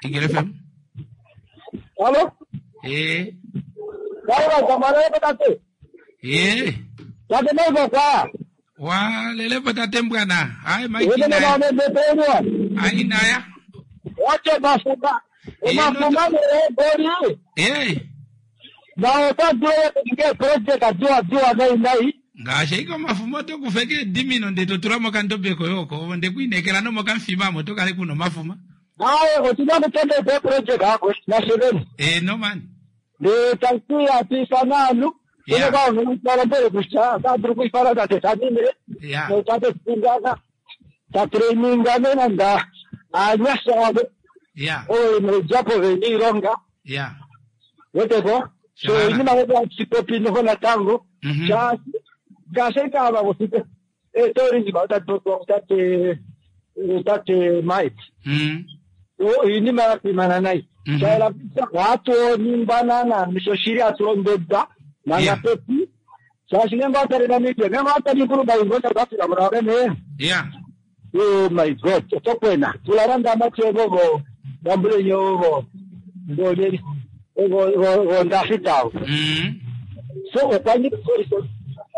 Eagle FM. Allo? Eh. Kaura zamara tate. Eh. Tate mai kwa. Wa lele po tate mbwana. Hai Wene Mike na na. me bepenwa. Ai naya. Wache mafuba. Mafuba ne bori. Eh. Na ota dua ke project dua dua nai nai. Ngaashi iko omafumo tokufeke edimino nde totula mokandobe koye oko nde kuinekela nomokamufima tokale kuna omafuma. Naye otina kutende be project ako na shebeni. Eh no man. De tankia tisananu. Yeah. Ine kwa nukala mbele kusha, kadru kuifara tate tadimire. Yeah. No tate tungana. Ta traininga nenda. Anyasha wabe. Yeah. Oyo mrejapo veni ronga. Yeah. Weteko. So Shahara. inima wete chipopi noho natango. Cha gaseka aba wosite. Eh tori ni bauta toko tate tate mait. O inima yapimana nai. Chaela watu nimbanana mishoshiri atulondeda na Yeah. napepi. Chashinemba atari na mipya. Nema atari kuruba ingoza bafira murabene. Yeah. Oh my God, tokwena. Tularanda amachego go. Bambulenyo go. Go go go go ndafitao. So okwanyika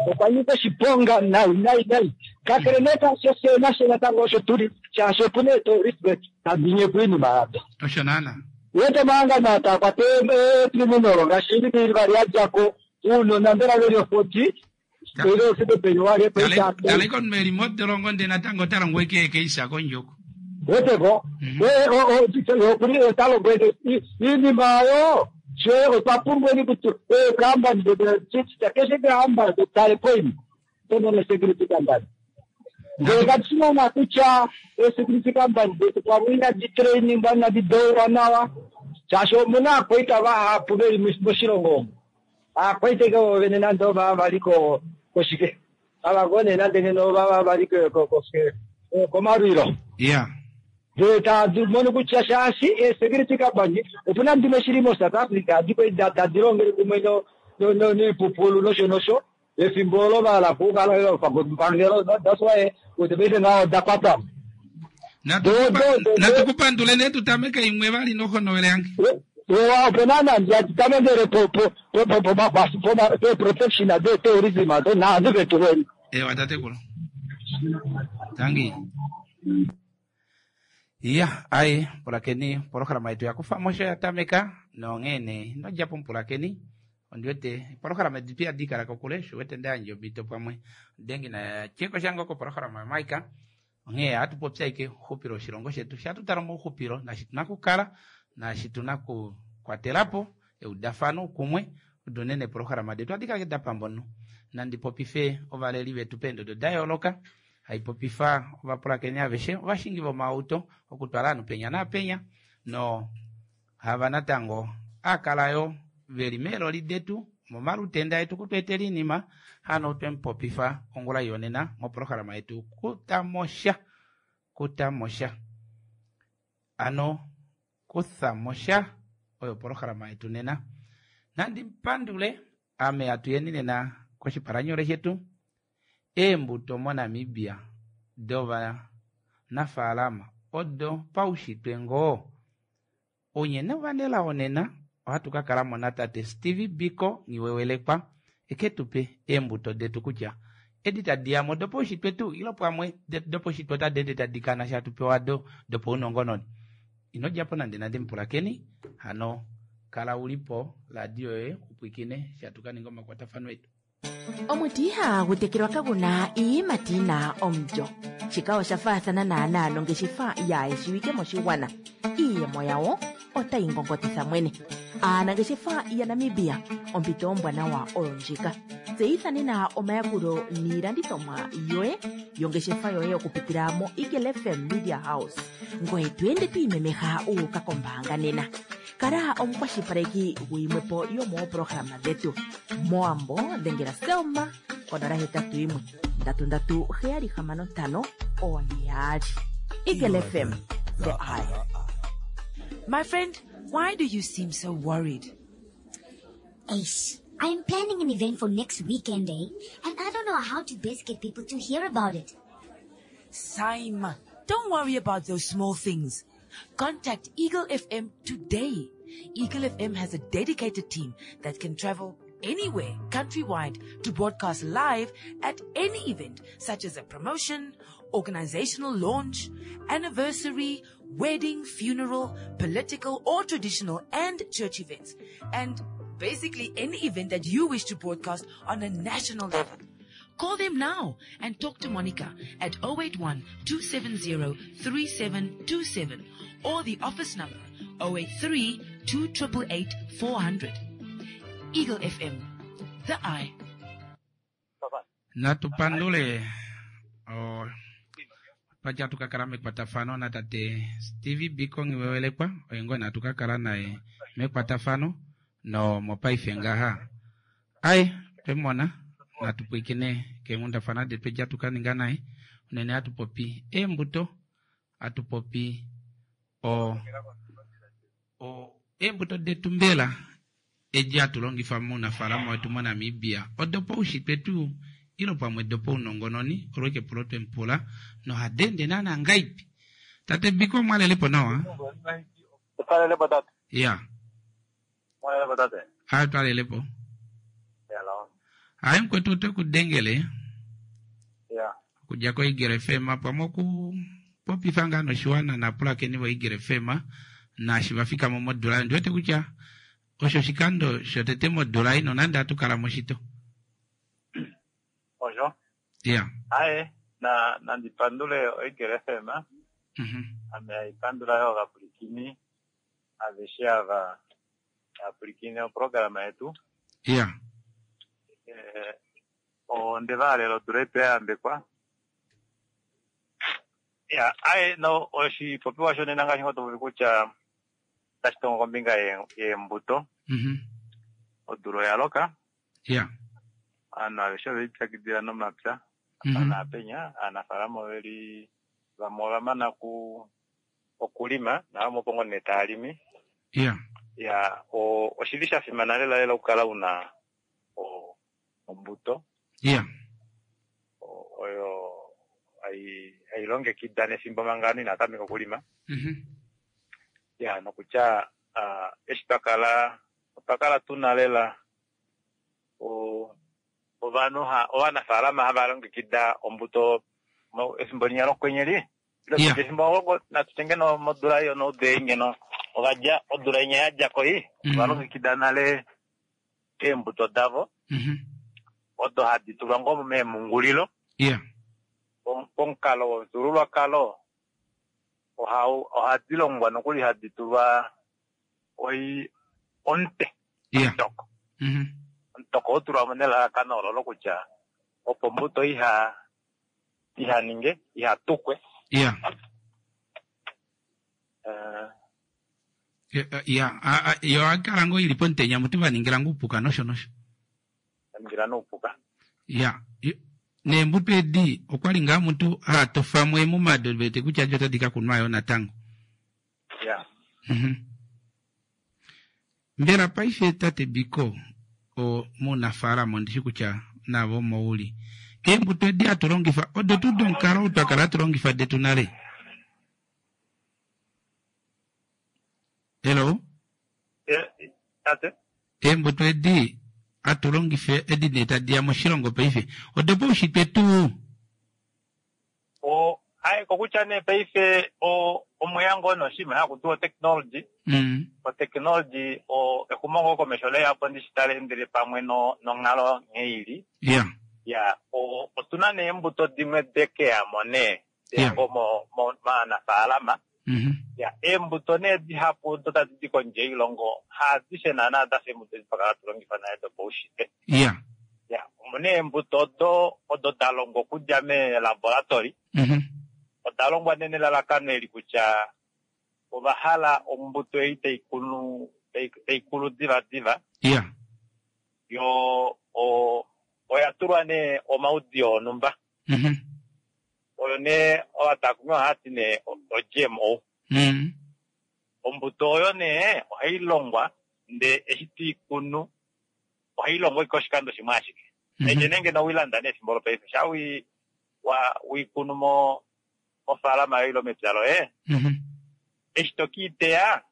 okwanyika shiponga nai nai nai. Kakereneka sose nashe natango osho tuli chasho pune to respect tabinye kwini baada. Osho nana. Wete manga na takwate criminal ngashiri biri bari ajako uno nambera lero 40 lero sebe penyuare pesa Taleko melimo tolongo nde natango talongo eke isako njoko. weteko we o talo gwete inima yo she otwapumbweni kuti kambani keshe kamba tale poini tonona security company ndekatinona kucha security company detu kwamwina ditraining vana didoura nawa chasho muna akwaita vahapu veli moshilongo omu akwaite vene nando va valiko koshike avagone nande neno vava valiko koshike komalwilo Yeah. mono kutya shaashi e-security company opuna ndimwe shili mo-South Africa diko tadilongele kumwe niipupulu nosho nosho efimbo olo vala kupangelo that's why kuti paife ngawo dakwatamo Natukupandule ne tutameke imwe vali nokhonowele yange. opena nandi atitamendele protection ade terrorism ato naandu vetuweni Ewa tatekulu. Tangi. Ya, ai pulakeni polohalama yetu yakufamosho yatameka nonghene nodjapo mpulakeni ondiwete polohalama edi pia dikala kokule shuwete ndayandja omhito pamwe dengi na cheko shange oko polohalama yamaika onghee atupopya ike uxupilo woshilongo shetu shatutala mouxupilo nashi tuna kukala nashi tuna kukwatelapo eudafano kumwe odo nene polohalama detu adikala dapambono nandipopife ovaleli vetu peendodo dayooloka haipopifa ovapulakeni aveshe ovashingi vomauto okutwala ovanhu penya naapenya no hava natango akalayo veli meeloli detu momalutenda etu kutweetela inima hano twemupopifa ongula yonena mopolohalama yetu kutamosha kutamosha ano kuthamosha oyo opolohalama yetu nena nandipandule ame atuyeni nena koshipalanyole shetu eembuto moNamibia dovanafaalama odo paushitwe ngoo onyene ovanelao nena ohatu ka kalamo natate Steve Biko Nghiwewelekwa eke tupe eembuto detu kutya edi tadiyamo dopaushitwe tuu ilo pamwe dopaushitwe otadi ende tadi kana shatupewa do dopaunongononi. Ino djapo nande nande mupulakeni hano kala ulipo radio yoye upwikine shatukaninga omakwatafano etu. Omuti ihagu tekelwa kaguna iiyimati yina omulyo. Shika osha faathana naanaa nongeshefa yaayeshiwike moshigwana. Iiyemo yawo otayi ngongotitha mwene. Aanangeshefa yaNamibia, ompito ombwanawa oyo ndjika. Tseyitha nena omayakulo niilandithomwa yoye yongeshefa yoye okupitila mo Eagle FM Media House. Ngoye to ende to imemeha wu uka kombaanga nena. Kala omukwashilipaleki guyimwepo yomoopolohalama dhetu. Mowambo dhengela Selma konola hetatu yimwe ndatu ndatu heyali hamano ntano one yaali. Eagle FM, the eye. My friend, why do you seem so worried? Ace, I'm planning an event for next weekend, eh? And I don't know how to best get people to hear about it. Saima, don't worry about those small things. Contact Eagle FM today. Eagle FM has a dedicated team that can travel anywhere countrywide to broadcast live at any event such as a promotion, organizational launch, anniversary, wedding, funeral, political or traditional and church events, and basically any event that you wish to broadcast on a national level. Call them now and talk to Monica at 081 270 3727 or the office number 083 288 400. Eagle FM, the eye. Natu pandule oh, twaja tukakala mekwatafano natate Steve Biko Nghiwewelekwa oye ngoo natu kakala naye mekwatafano no mopaife ngaha ai twemona natu pwiikine keenghundafana detu edi hatu kaninga naye unene hatu popi eembuto hatu popi o, o eembuto detu mbela edi hatu longifa mounafaalama wetu moNamibia odopaushitwe tuu ilo pamwe dopaunongononi olo ike epulo twemupula nohadi ende naana ngaipi tate Biko omwalelepo nawa? Twalelepo tate. Ya. Mwalelepo tate. Aye twalelepo. Hello. Aye mukwetu otwe ku dengele. Ya. Okudja ko Eagle FM pamwe oku popifa ngaa noshiwana naapulakeni vo Eagle FM naashi va fikamo modula. Ondi wete kutya osho oshikando shotete modula ei nonande hatu kala moshito. Osho. Ya. Aye, na nandi pandule Oigele FM. Ame haipandula yo ovapwilikini aveshe ava vapwilikine oprograma yetu. Ya. Eh, onde va halela odula ipe ya yambekwa. Ya, aye no oshipopiwa shonena ngaashi ngoo to popi kutya otashi tongo kombinga yeembuto. Odula oya loka. Ya. Ovanhu aveshe ove lipyakidila nomapya. Apa naapenya, aanafaalama ove li vamwe ova mana ku okulima navamwe opo ngoo nee tava limi. Ya. Ya, oshili sha fimana lela lela okukala una ombuto. Ya. Oyo hai longekida nefimbo manga ovanhu inava tameka okulima. Ya, nokutya eshi twa kala, otwa kala tuna lela ovanhu ovanafaalama hava longekida ombuto efimbo linya lokwenye li. Efimbo natu tye ngeno modula ei onoudu ngeno ovadja odula inya yadja ko ei, ova longekida nale eembuto davo odo hadi tulwa ngoo meemhungulilo. Pomukalo womufyuululwakalo ohadi longwa nokuli hadi tulwa omute omutoko. Omutoko oo tulwa mo nelalakano olo lokutya opo ombuto iha ninge iha tukwe. Ya, yo ohai ngoo ili pomutenya mutu va ningila ngoo oupuka nosho nosho. Vaningila noupuka. Ya, neembuto edi okwali ngaa mutu ha tofamo emumado vete kutya edi otadi ka kunwa yo natango. Ya. Mbela paife tate Biko o muunafaalama ondishi kutya navo omo uli. Eembuto edi hatu longifa odo tuu domukalo ou twa kala hatu longifa detu nale? Hello? Tate? Eembuto edi hatu longifa edi nee tadi ya moshilongo paife odopaushitwe tuu? O, aye, kokutya nee paife o, omweya ngoo noshinima haku tiwa otechnology. Otechnology o, exumo ngoo komesho leya po ndishi tali endele pamwe no, nonghalo nghee ili. Ya, o, otuna nee eembuto dimwe dekeyamo nee, deya ngoo mo, mo, maanafaalama. Ya, eembuto nee dihapu odo tadi di kondje yoilongo haadishe naana dafa eembuto edi twa kala hatu longifa nale dopaushitwe. Ya, omuna eembuto odo odo da longwa okudja meelaboratory. Oda longwa nee nelalakano eli kutya ova hala ombuto ei tai kunu tai kulu divadiva. Yo oya tulwa nee omaudiyo onhumba. Oyo nee ovatakumi ohava ti nee o-GMO. Ombuto oyo nee ohai longwa ndee eshi to i kunu ohai longwa ashike oshikando shimwe ashike. Neke nee ngeno owii landa nee efimbo lopaife sha wi wa wii kunu mo mofaalama yoye ile mepya loye. Eshi to kiiteya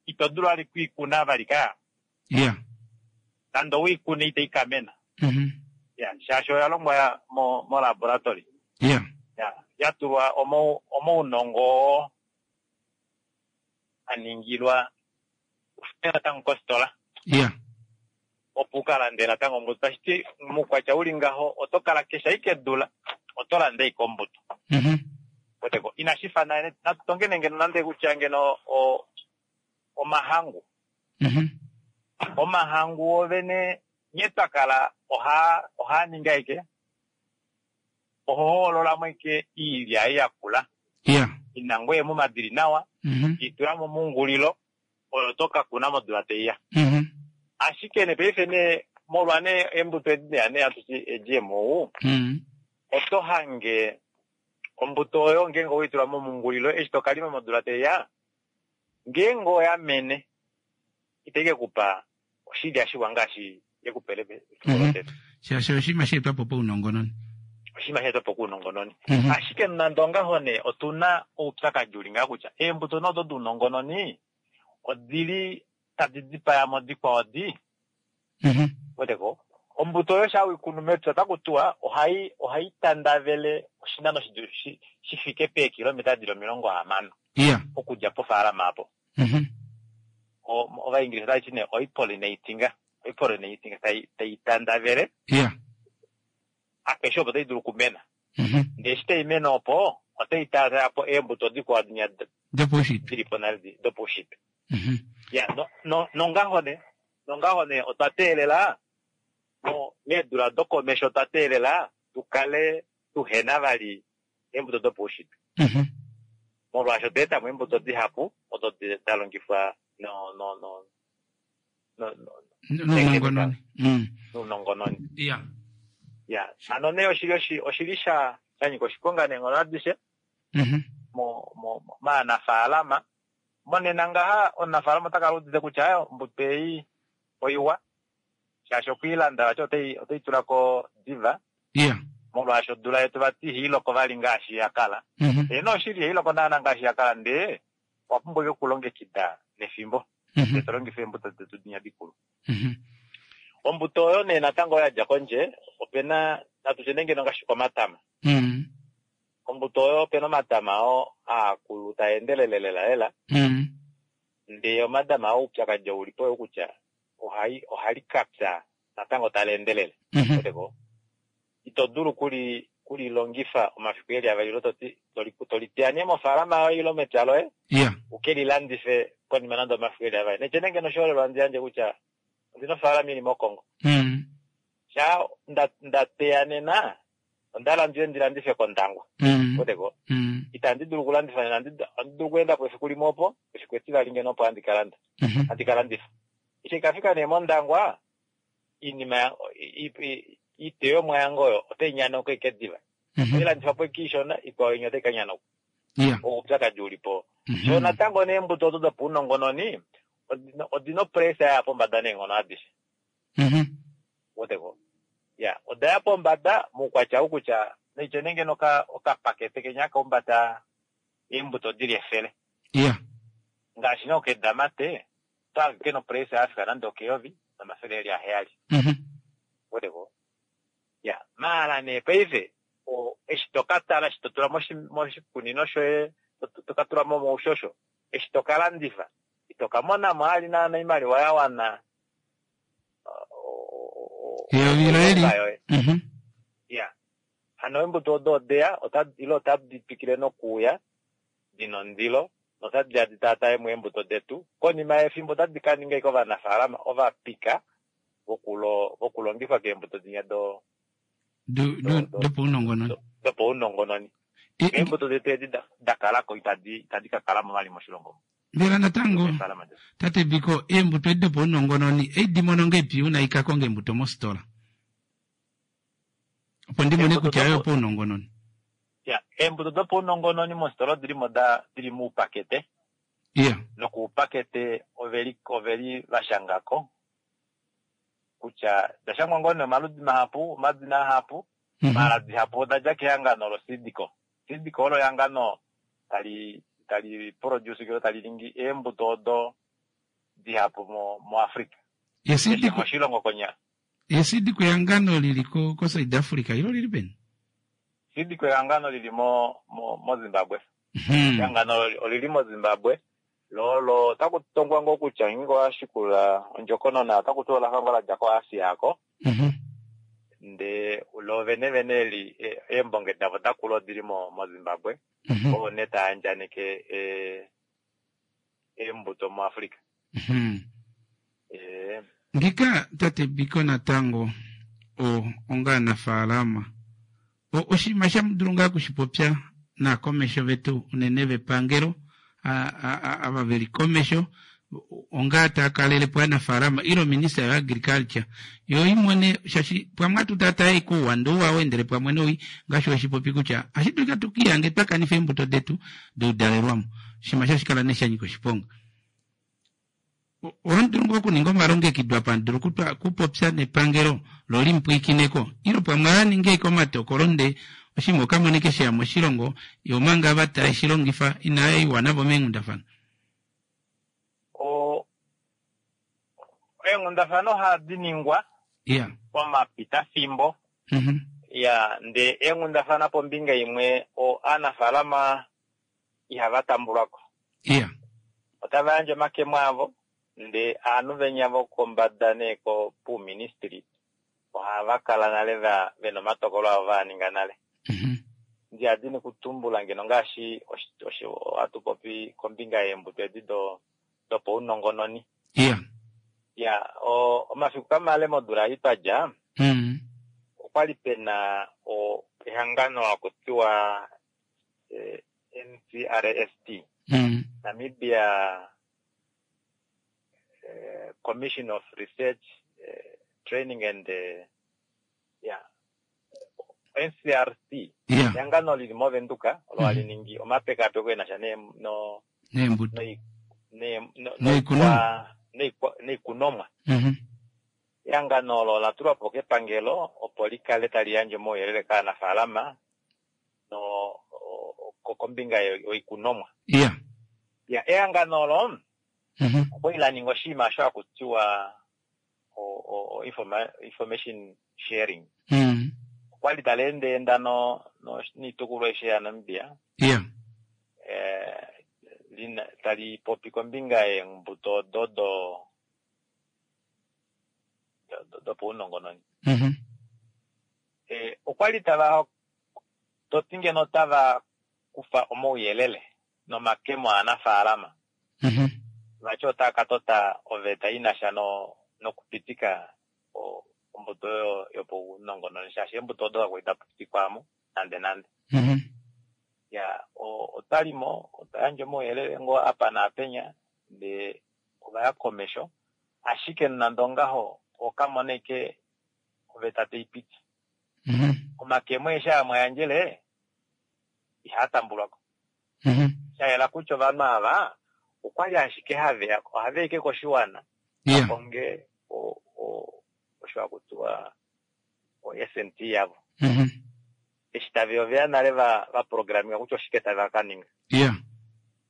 ito dulu vali kuikuna vali ka. Nande owiikune itai kamena. Ya, shaashi oya longwa mo laboratory. Ya, ya tulwa omaunongo oo a ningilwa natango kositola. Opo u ka lande natango ombuto. Tashi ti muukwatya uli ngaho oto kala keshe ashike dula oto lande ashike ombuto. Weteko inashi fa nale natu tonge ngeno nande kutya ngeno omahangu. Omahangu ovene nghee twa kala ohaa ningi ashike oho hoololamo ashike iilya ei yakula. Ina ngoo eemuma dili nawa, itula momungulilo oyo to ka kuna modula taiya. Ashike nee paife nee molwa nee eembuto edi deya nee hatu ti GMO, oto hange ombuto oyo ngeenge owei tula momungulilo eshi to kalima modula taiya, ngeenge oya mene itai ke kupa oshilya shiwa ngaashi yekupele efimbo lotete. Shaashi oshinima sha etwa po paunongononi. Oshinima sha etwa po kounongononi. Ashike nande ongaho nee otuna oupyakadi uli ngaha kutya eembuto nee odo dounongononi odili tadi dipaya mo dikwao di. Weteko ombuto oyo sha wikunu mepya otaku tiwa ohai tandavele oshinano shi fike peekilometa dili 60 okudja pofaalama apo. Ovaingilisa otava ti nee oipollinatinga, oipollinatinga tai tandavele apeshe opo tai dulu okumena. Ndee eshi tai mene opo otai taataya po eembuto dikwao dinya dopaushitwe dili po nale dopaushitwe. Ya, nongaho nee, nongaho nee otwa teelela meedula dokomesho otwa teelela tu kale tuhena vali eembuto dopaushitwe. Molwaasho otwa etamo eembuto dihapu odo da longifwa nounongononi. Nounongononi. Ya, hano nee oshili sha nyika oshiponga neenghono adishe maanafaalama. Monena ngaha omunafaalama ota kala udite kutya ombuto ei oiwa shaashi okwiilanda vati otei tula ko diva. Molwaashi odula yetu vati ihailoko vali ngaashi ya kala. Eeno oshili ihailoko naana ngaashi ya kala ndee owa pumbwa ashike okulongekida nefimbo. Ndee to longifa eembuto detu dinya dikulu. Ombuto oyo nee natango oyo yadja kondje opena natu tye nee ngeno ngaashi komatama. Ombuto oyo opena omatama oo aakulu taa endelele lela lela. Ndee omatama oo oupyakadi ou ulipo oyou kutya ohali kapya natango tali endelele. Weteko ito dulu kulilongifa omafiku eli avali ilo toti toliteya nee mofaalama yoye ilo mepya loye uke lilandife konima nande omafiku eli avali. Netye nee ngeno oshiholelwa handi yandje kutya ondina ofaalama ili mOkongo. Sha ndateya nena onda hala ndiye ndi landife kOndangwa. Weteko itandi dulu okulandifa nena, ohandi dulu okuenda po efiku limwe opo, efiku etivali ngeno opo handi kalanda, handi kalandifa. Eshi ikafika nee mOndangwa iinima iiteyomwa yange oyo otai nyanauka ike diva. Otai landifwa po ike ishona, ikwao inya otai ka nyanauka. Oupyakadi uli po. Sho natango neembuto odo dopaunongononi odina opresa ya pombada neenghono adishe. Weteko ya oda ya pombada moukwatya ou kutya naitye nee ngeno okapakete kenya haka humbata eembuto dili 100. Ngaashi nee okedamate oto hange kena opresa yafika nande okeyovi nomafele eli 7. Weteko ya maala nee paife eshi to ka tala eshi to tula moshikunino shoye to ka tula mo moushosho eshi to ka landifa ito ka monamo ali naana oimaliwa ya wana eyovi loye li ya hano eembuto odo odeya ile otadi twikile nokuuya dina ondilo notadi ya di taataye mo eembuto detu konima yefimbo otadi ka ninga ashike ovanafaalama ovapika vokulongifwa keembuto dinya dopaunongononi dopaunongononi. Eembuto detu edi da kalako itadi ka kala mo vali moshilongo. Mbela natango tate Biko eembuto edi dopaunongononi eidi mono ngeipi una ika konga eembuto mositola opo ndi mone kutya oyo paunongononi? Ya, eembuto dopaunongononi mositola odili mo dili muupakete. Nokuupakete oveli vashangako kutya da shangwa ngoo nee omaludi mahapu, omadina ahapu, maala dihapu oda dja kehangano loSeedco. SeedCo olo ehangano tali tali produce ilo tali ningi eembuto odo dihapu muAfrica. Keshe moshilongo konyala. Esidiko ehangano lili koSouth Africa ilo lili peni? Esidiko ehangano lili moZimbabwe. Ehangano olili moZimbabwe. Lolo otaku tongwa ngoo kutya ngeenge owashikula ondjokonona otaku tiwa olafa ngoo ladja koAsia ako. Ndee lo vene vene eli eembonge davo dakula odili moZimbabwe. Oo nee taa andjaneke eembuto muAfrica. Ngika tate Biko natango onga anafaalama oshinima shamudulu ngaa kushipopya naakomesho vetu unene vepangelo ava veli komesho onga taa kalelepo aanafaalama ile ominista yoagriculture yo imone shaashi pamwe atu tataye kouwa ndee ouwa weendele pamwe nowii ngaashi weshipopi kutya ohashi dulika tukiihange twa kanifa eembuto detu doudalelwamo oshinima sho ohashi kala nee shanyika oshiponga. Ohamu dulu ngoo okuninga omalongekido apa hamu dulu okupopya nepangelo lo limupwiikineko ile pamwe ohava ningi ashike omatokolo ndee oshinima okamonike sheya moshilongo yo omanga ava taye shi longifa inaya iwa navo meenghundafana. Eenghundafana ohadi ningwa pomapitafimbo. Ya, ndee eenghundafana pombinga imwe aanafaalama ihava tambulwa ko. Otava yandje omakemo avo, ndee ovanhu venya vokombada nee puuministili ohava kala nale vena omatokolo avo vaa ninga nale. Ndihadini kutumbula ngeno ngaashi ohatu popi kombinga yeembuto edi dopaunongononi. Ya, omafiku kamale modula ei twa dja, okwali pena ehangano haku tiwa NCRST, Namibia Commission of Research, Training and yeah, NCRC, ehangano lili moVenduka olo hali ningi omapekapeko e na sha neembuto noikunomwa. Ehangano olo ola tulwa po kepangelo opo li kale tali yandje omauyelele kaanafaalama kombinga yoikunomwa. Ya, ehangano olo okwali la ninga oshinima osho haku tiwa information sharing. Okwali tali endeenda noitukulwa aishe yaNamibia. Tali popi kombinga yeembuto odo dopaunongononi. Okwali tava toti ngeno otava kufa omauyelele nomakemo aanafaalama. Vati otava ka tota oveta i na sha nokupitika ombuto oyo yopaunongononi shaashi eembuto odo kakwali da pitikwa mo nande nande. Ya, otwa li mo, otwa yandja omauyelele ngoo apa naapenya ndee ova ya komesho, ashike nande ongaho okamona ashike oveta tai piti. Omakemo aeshe aa mwa yandjele ihaa tambulwa ko. Sha yela kutya ovanhu ava okwali ashike haveya, ohava ike koshiwana va konge osho haku tiwa o-SNT yavo. Eshi taveya oveya nale va programinga kutya oshike tava ka ninga.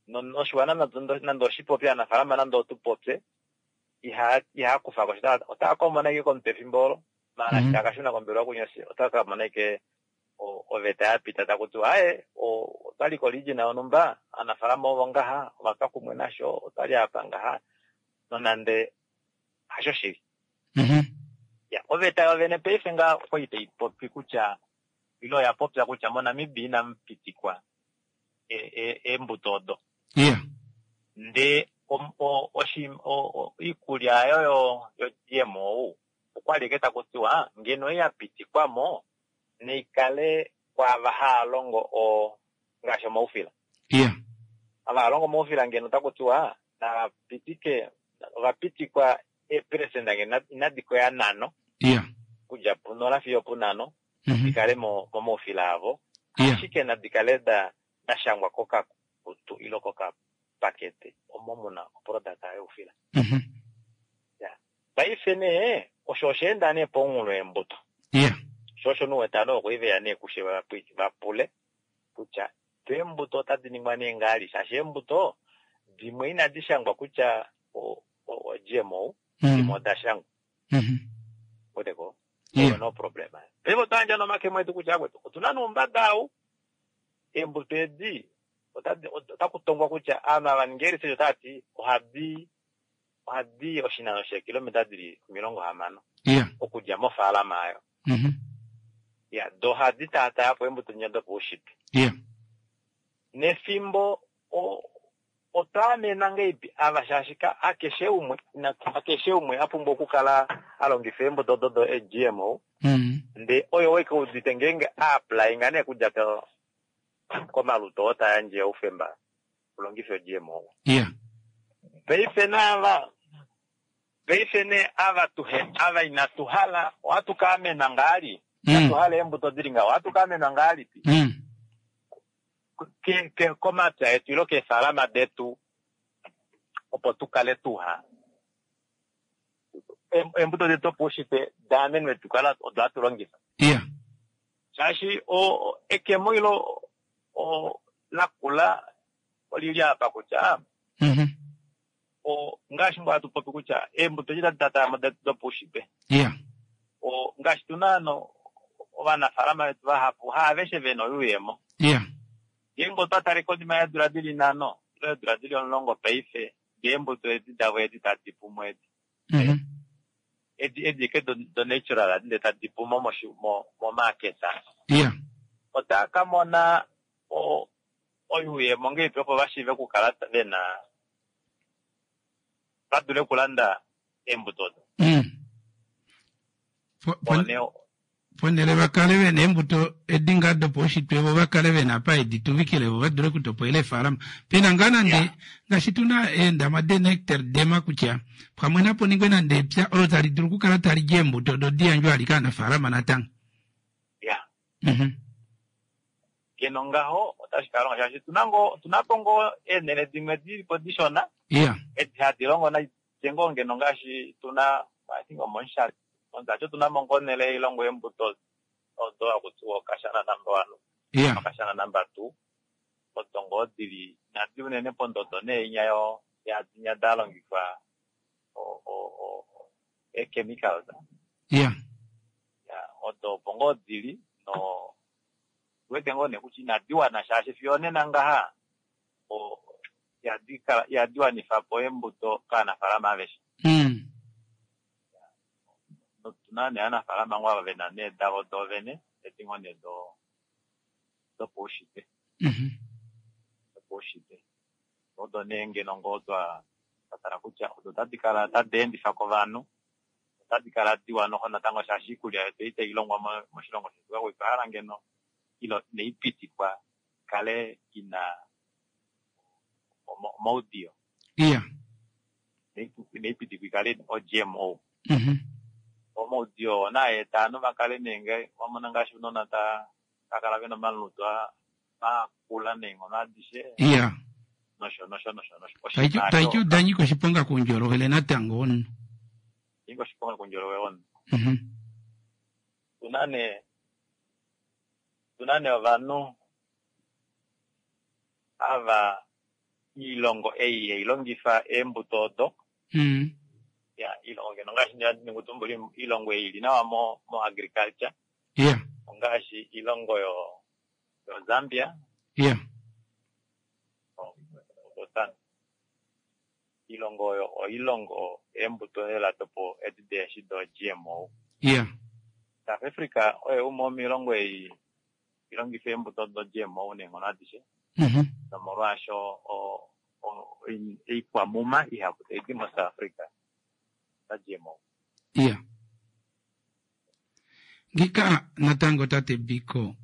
Noshiwana nande oshipopye, aanafaalama nande otu popye, ihaa kufa ko sha. Otava ka mona ashike komutwe efimbo olo, maala eshi tava ka shuna kombelewa kunyosi, otava ka mona ashike oveta ya pita taku tiwa aaye, otwali koregion yonhumba, aanafaalama ovo ngaha, ova twa kumwe nasho, otwali apa ngaha, nonande hasho shili. Ya, oveta yovene paife ngaa okwali tai popi kutya, ile oya popya kutya moNamibia inamu pitikwa eembuto odo. Ndee oikulya oyo yo-GMO okwali eke taku tiwa ngeno ya pitikwa mo neikale kwaava haa longo ngaashi omaufila. Ava haa longo omaufila ngeno otaku tiwa nava pitike, ova pitikwa eeperesenda ngeno inadi koya nhano, okudja punola fiyo opunhano, di kale momaufila avo, ashike nadi kale da shangwa kokakutu ile kokapakete omo mu na oproduct youfila. Paife nee osho osha enda nee pomunghulo weembuto. Sho osho nuwetano okwe veya nee kushe va pule kutya Eembuto otadi ningwa nee ngaali shaashi eembuto dimwe inadi shangwa kutya o-GMO, dimwe oda shangwa. Weteko? Yeah. No problem. Paife otwa yandja nomakemo etu kutya akwetu otuna noumbada ou eembuto edi otaku tongwa kutya aanhu ava ninga research otava ti ohadi ohadi oshinano sheekilometa dili 60 okudja mofaalama ayo. Ya, do ohadi taataya po eembuto dinya dopaushitwe. Nefimbo otwa amena ngeipi ava shaashi hakeshe umwe hakeshe umwe a pumbwa okukala a longifa eembuto odo do GMO. Ndee oyo weke udite ngeenge a applyinga nee kudja komalutu oo ta yandje oufemba ulongife GMO. Paife naava paife nee ava tuhe ava inatu hala ohatu ka amenwa ngaali. Inatu hala eembuto dili ngaho ohatu ka amenwa ngaalipi? Komapya etu ilo keefalama detu opo tu kale tuha eembuto detu dopaushitwe daamenwe tu kala odo hatu longifa. Shaashi ekemo ilo lakula olili apa kutya ngaashi ngoo hatu popi kutya eembuto edi tadi tatayamo detu dopaushitwe. Ngaashi tuna ano ovanafaalama vetu vahapu haaveshe vena oyuuyemo. Ngeenge otwa tale konima yeedula dili 5 ile eedula dili 10 paife eembuto edi davo edi tadi pumo edi. Edi edi ke do natural edi tadi pumo momarket. Otava ka mona oyuuyemo ngeipi opo vashiive okukala vena va dule okulanda eembuto odo. Ponhele vakale vena eembuto edi ngaa dopaushitwe vo vakale vena apa edi tuvikile vo vadule okutopoela eefalama. Pena ngaa nande ngaashi tuna eendama de nectar dema kutya pamwe napo ningwe nande epya olo tali dulu okukala tali di eembuto odo di yandjwe ali kaanafaalama natango. Ngeno ngaho otashi ka longa shaashi tuna po ngoo eenhele dimwe dilipo dishona. Edi hadi longo nai ngoo ngeno ngaashi tuna I think omomushati. Omushati otuna mo ngoo onhele ilongo eembuto odo hakutiwa Okashana number 1. Okashana number 2. Odo ngoo dili inadi unene pondodo nee inya yo yadinya da longifwa ee-chemicals. Odo opo ngoo dili no wete ngoo nee kutya inadi wana shaashi fiyo onena ngaha ihadi wanifa po eembuto kaanafaalama aveshe. Otuna nee aanafaalama ngoo ava vena nee davo doovene edi ngoo nee dopaushitwe. Dopaushitwe. Odo nee ngeno ngoo twa tala kutya odo tadi kala tadi endifa kovanhu otadi kala diwa noho natango shaashi iikulya yetu itai longwa moshilongo shetu kakwa otwa hala ngeno ilo inaipitikwa kale ina omaudiyo. Inaipitikwa ikale o-GMO. Omaudiyo naa eta ovanhu vakale nee wamona ngaashi ounona takala vena omalutu makula neenghono adishe. Nosho nosho nosho nosho. Taiti odanyika oshiponga koundjolowele natango omunhu. Nyika oshiponga koundjolowele womunhu. Tuna nee ovanhu ava iilongo ei hailongifa eembuto odo. Ya iilongo ngeno ngaashi ndingutumbula iilongo ei ili nawa mo agriculture. Ongaashi iilongo yo Zambia. Iilongo oyo oilongo eembuto lela dopo edi deeshi do GMO. South Africa oyo umwe womiilongo ei ilongifa eembuto do GMO neenghono adishe. Nomolwaasho oikwamuma ihapu taidi mo South Africa da GMO. Ngika natango tate Biko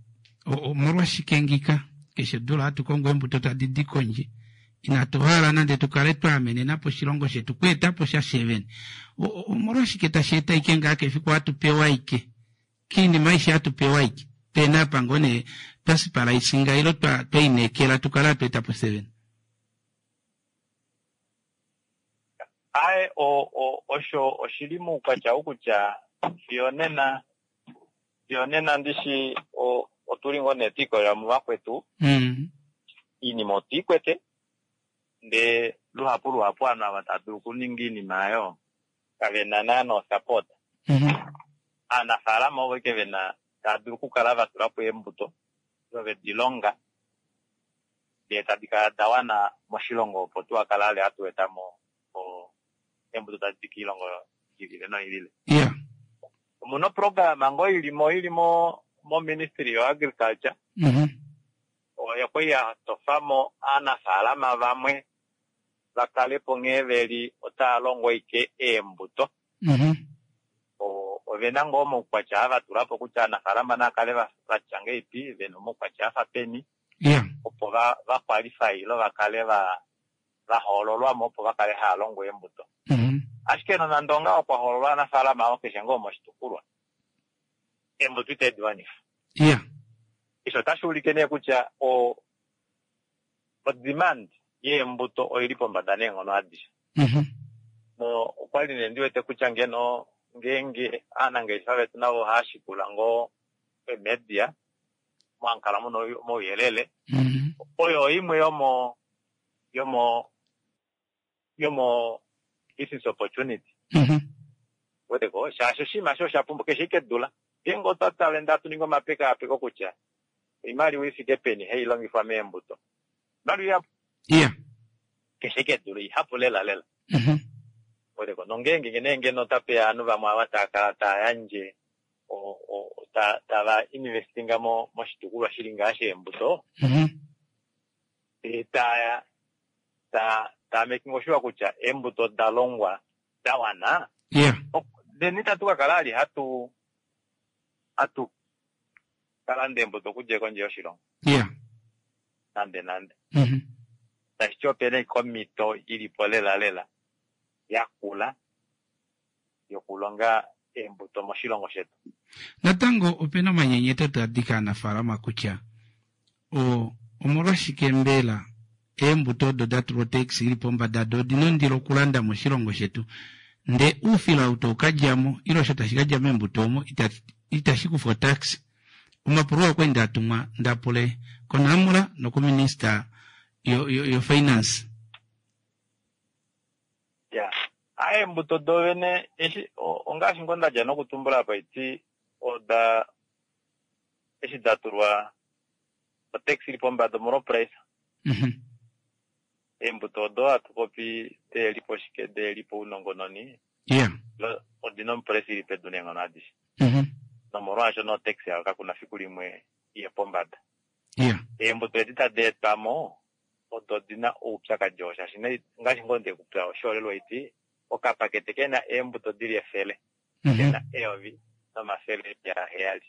omolwashike ngika keshe dula hatu kongo eembuto tadi di kondje inatu hala nande tukale twa amenena po oshilongo shetu kweeta po sha shevene. Omolwashike tashi eta ike ngaa kefiku hatu pewa ike kiinima aishe hatu pewa ike pena apa ngoo nee twasipala isinga ilo twaineekela tukale hatu eta po sevene. Aye osho oshili moukwatya ou kutya fiyo nena ndishi otuli ngoo nee twiikolelela muvakwetu. Iinima otu i kwete, ndee luhapu luhapu ovanhu ava tava dulu okuninga iinima aayo kave na naana osupport. Aanafaalama ovo ashike ve na tava dulu okukala va tula po eembuto ile ve di longa ndee tadi kala da wana moshilongo opo tu kala ale hatu eta mo eembuto tadi di kiilongo i lile noi lile. Omuna oprograma ngoo ilimo ili mo mo-ministry yo-agriculture oyo kwali ya tofa mo aanafaalama vamwe va kale po nghee veli otava longo ashike eembuto. Ovena ngoo omaukwatya ava tula po kutya aanafaalama nava kale vatya ngahelipi, vena omaukwatya afa peni, opo va qualify ile va kale va hoololwa mo opo va kale hava longo eembuto. Ashike nonande ongaho kwa hoololwa aanafaalama avo keshe ngoo moshitukulwa, eembuto itadi wanifa. Osho otashi ulike nee kutya o-demand yeembuto oili pombada neenghono adishe. No okwali nee ndiwete kutya ngeno ngeenge aanangeshefa vetu navo ohava shikula ngoo emedia mwamukala muna omauyelele, oyo imwe yomo yomo yomo business opportunity. Weteko shaashi oshinima osho osha pumbwa keshe ike dula. Ngeenge otwa tale ndee hatu ningi omapekaapeko kutya oimaliwa ifike peni hai longifwa meembuto, oimaliwa ihapu. Keshe ike dula ihapu lela lela. Weteko nongeenge nee ngeno otapeya ovanhu vamwe ava tava kala tava yandje tava investinga moshitukulwa shili ngaa sheembuto, taya tava making sure kutya eembuto oda longwa da wana, then itatu ka kala ali hatu kalanda eembuto okudja kondje yoshilongo. Nande nande. Tashi ti opena ashike omhito ilipo lela lela yakula yokulonga eembuto moshilongo shetu. Natango opena omanyenyeto taa di kaanafaalama kutya omolwashike mbela eembuto odo da tulwa otax ili pombada do odina ondilo okulanda moshilongo shetu, ndee oufila ou tau ka dja mo ile osho tashi ka dja meembuto omo itashi kufa otax. Omapulo oo okwali nda tumwa nda pule koNamra nokominista yofinance. Ya, eembuto dovene eshi ongaashi ngoo ndadja nokutumbula apa iti oda eshi da tulwa otax ili pombada omolwa price. Eembuto odo hatu popi deelipo shike deelipo ounongononi, odina omuprice ili pedu neenghono adishe. Nomolwaasho no tax yayo kakuna fiku limwe iye pombada. Eembuto edi tadi etwamo odo dina oupyakadi oo shaashi ngaashi ngoo ndekupya oshiholelwa iti okapakete kena eembuto dili 100 kena 1700.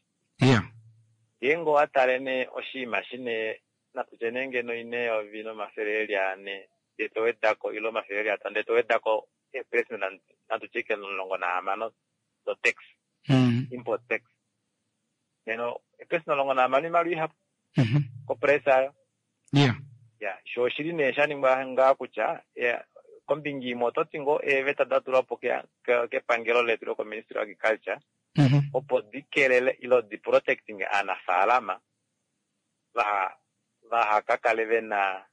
Ngeenge owa tale nee oshinima shine natutye nee ngeno ina 1400 ndee to wedako ile 500 ndee to wedako eepresent natutye ike 16 do tax, import tax, neno eepresent 16 oimaliwa ihapu koprice ayo. Ya, sho oshili nee sha ningwa ngaa kutya kombinga imwe oto ti ngoo eeveta da tulwa po kepangelo letu lokoministry of agriculture opo di kelele ile di protecting aanafaalama vaha ka kale vena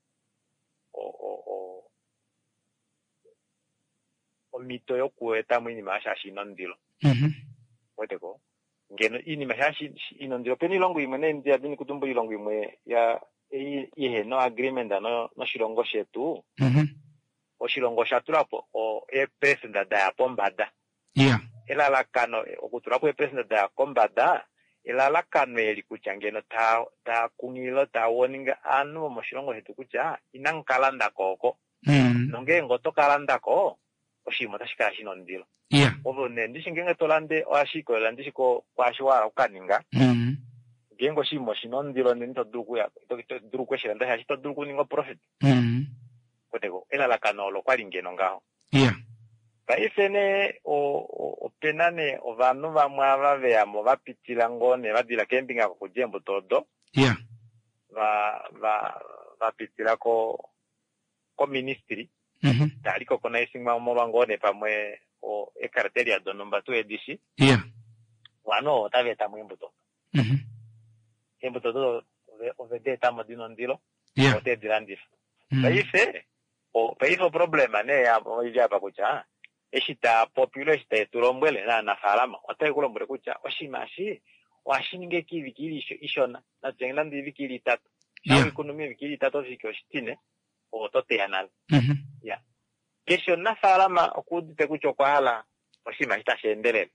omhito yokueta mo iinima shaashi ina ondilo. Weteko ngeno iinima shaashi ina ondilo opena oilongo imwe nee ndiya dini kutumbula oilongo imwe ya ihena agreement noshilongo shetu. Oshilongo osha tula po eepresenda daya pombada. Elalakano okutula po eepresenda daya kombada elalakano eli kutya ngeno taa kunghilile taa warning ovanhu vomoshilongo shetu kutya inamu ka landa ko oko. Nongeenge oto ka landa ko oshinima otashi kala shina ondilo. Ovo nee ndishi ngeenge to lande ohashi ikolelela ndishi kwaashi wa hala okukaninga. Ngeenge oshinima oshina ondilo nena ito dulu okuya ito dulu okushilanda shaashi ito dulu okuninga profit. Weteko elalakano olo kwali ngeno ngaho. Paife nee opena nee ovanhu vamwe ava veyamo va pitila ngoo nee va dila keembinga kokudja eembuto odo. Va pitila koministry. Tali kokonaisinga omolwa ngoo nee pamwe eecriteria donhumba tuu edishi. Ovanhu ovo otava etamo eembuto. Eembuto odo ove di etamo dina ondilo. Ote di landifa. Paife paife oproblema nee ili apa kutya eshi taapopi ile eshi tae tu lombwele naanafaalama otae ku lombwele kutya oshinima eshi ohashi ningi ashike oivike ili ishona, natu nande oivike ili itatu. Shampa weikunu moivike ili itatu oshivike oshitine ove oto teya nale. Iya. Keshe omunafaalama okuudite kutya okwa hala oshinima eshi tashi endelele.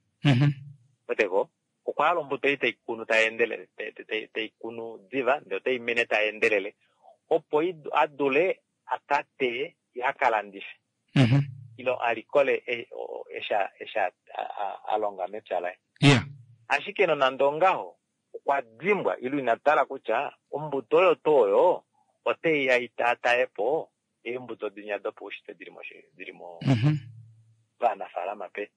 Weteko? Okwa hala ombuto ei tai kunu tai endelele, tai kunu diva ndele otai mene tai endelele opo a dule a ka teye ye a ka landife ile a likole eshi a longa mepya laye. Ashike nonande ongaho, okwa dimbwa ile ina tala kutya ombuto oyo tuu oyo otai ya i taataye po eembuto dinya dopaushitwe dili mo vanafaalama pe.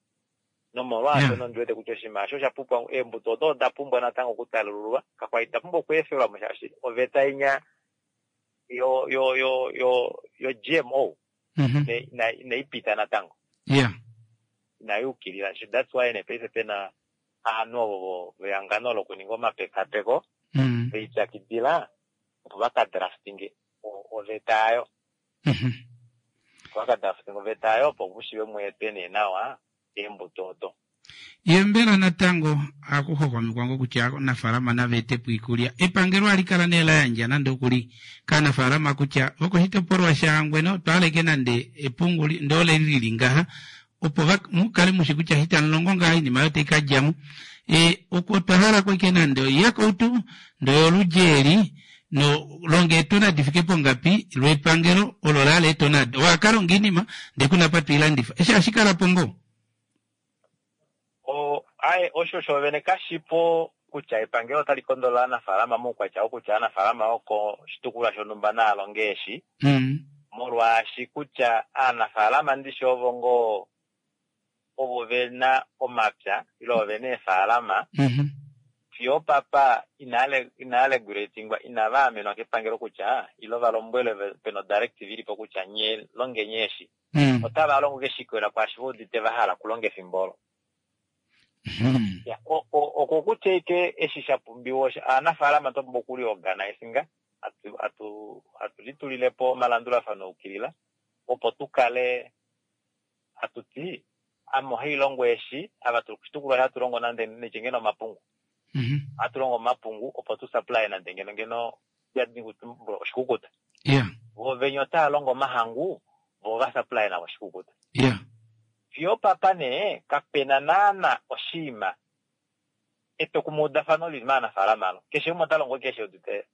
Nomolwaashono ondi wete kutya oshinima osho osha pumbwa, eembuto odo oda pumbwa natango okutalululwa, kakwali da pumbwa okweefelwa mo shaashi oveta inya yo yo yo yo yo GMO inai pita natango. Inai ukilila. That's why nee paife pena ovanhu ovo vehangano lokuninga omapekapeko ve ipyakidila opo va ka draftinge oveta yayo. Opo va ka draftinge oveta yayo opo ku shiive mu etwe nee nawa eembuto odo. Ye mbela natango ohaku hwahwamekwa ngoo kutya aanafaalama nava ete po iikulya? Epangelo ohali kala nee la yandja nande okuli kaanafaalama kutya vokoshitopolwa shaHangwena otwa hala ashike nande epungu ndee ole li li ngaha opo va mu kale mushi kutya eshi tamu longo ngaha oinima oyo tai ka dja mo. E, otwa hala ko ashike nande oiyakautu ndee oyoludji eli no longa eetona di fike pongapi lwepangelo olo la hala eetona ado. Owa ka longa oinima ndee ku na apa to i landifa. Eshi ohashi kala po ngoo? O, aye, osho shoovene kashipo kutya epangelo otali kondolola aanafaalama moukwatya wokutya aanafaalama vokoshitukulwa shonhumba naa longe eshi, molwaashi kutya aanafaalama ndishi ovo ngoo ovo ve na omapya ile ovo ve na eefaalama, fiyo opapa inaa regulatingwa, inava amenwa kepangelo kutya ile va lombwelwe pe na odirective ili po kutya nye longeni eshi. Otava longo ke shikolela kwaashi ve udite va hala okulonga efimbo olo. Ya, oko kutya ike eshi sha pumbiwa osho aanafaalama twa pumbwa okuliorganisinga, atu, atu, atu litulile po omalandulafano aukilila opo tu kale hatu ti ame ohai longo eshi, ava tuli koshitukulwa eshi hatu longo nande nitye ngeno omapungu. Ohatu longo omapungu opo tu supply nande ngeno ngeno oshikukuta. Vo venya otava longo omahangu vo va supply navo oshikukuta. Fiyo opapa nee kapena naana oshiima etwokumweudafano lili maanafaalama alo. Keshe umwe ota longo keshe udite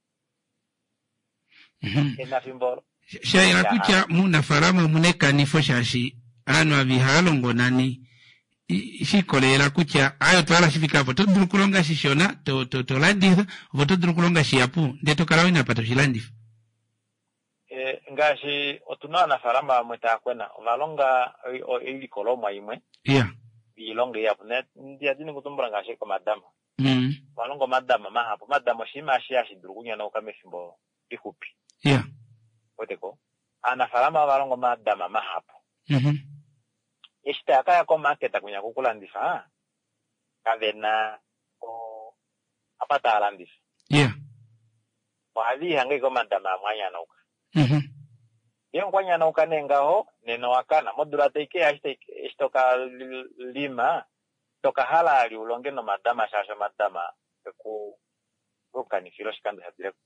ena fimbo olo. Sha yela kutya muunafaalama omuna ekanifo shaashi aanhu ava ihava longo nani shi ikolelela kutya aye otwa hala shi fike apa. Oto dulu okulonga shishona to, to, to landifa, ove oto dulu okulonga shihapu ndee to kala wina apa to shi landifa. E, ngaashi otu na aanafaalama vamwe taya kwena, ova longa oilikolomwa imwe iilonga ihapu. Ndi dini okutumbula ngaashi komadama. Ova longa omadama mahapu. Omadama oshinima eshi hashi dulu okunyonauka mefimbo lixupi. Wete ko? Aanafaalama ova longa omadama mahapu. Eshi taya ka ya komarket kwinya kokulandifa, kave na apa tava landifa. Ohave lihange ashike omadama amwe a nyanauka. Ngeenge okwa nyanauka nee ngaho, nena owa kana. Modula tai ke ya eshi to ka lima, ito ka hala vali u longe nomadama shaashi omadama eku kanifila oshikando sha dile ko.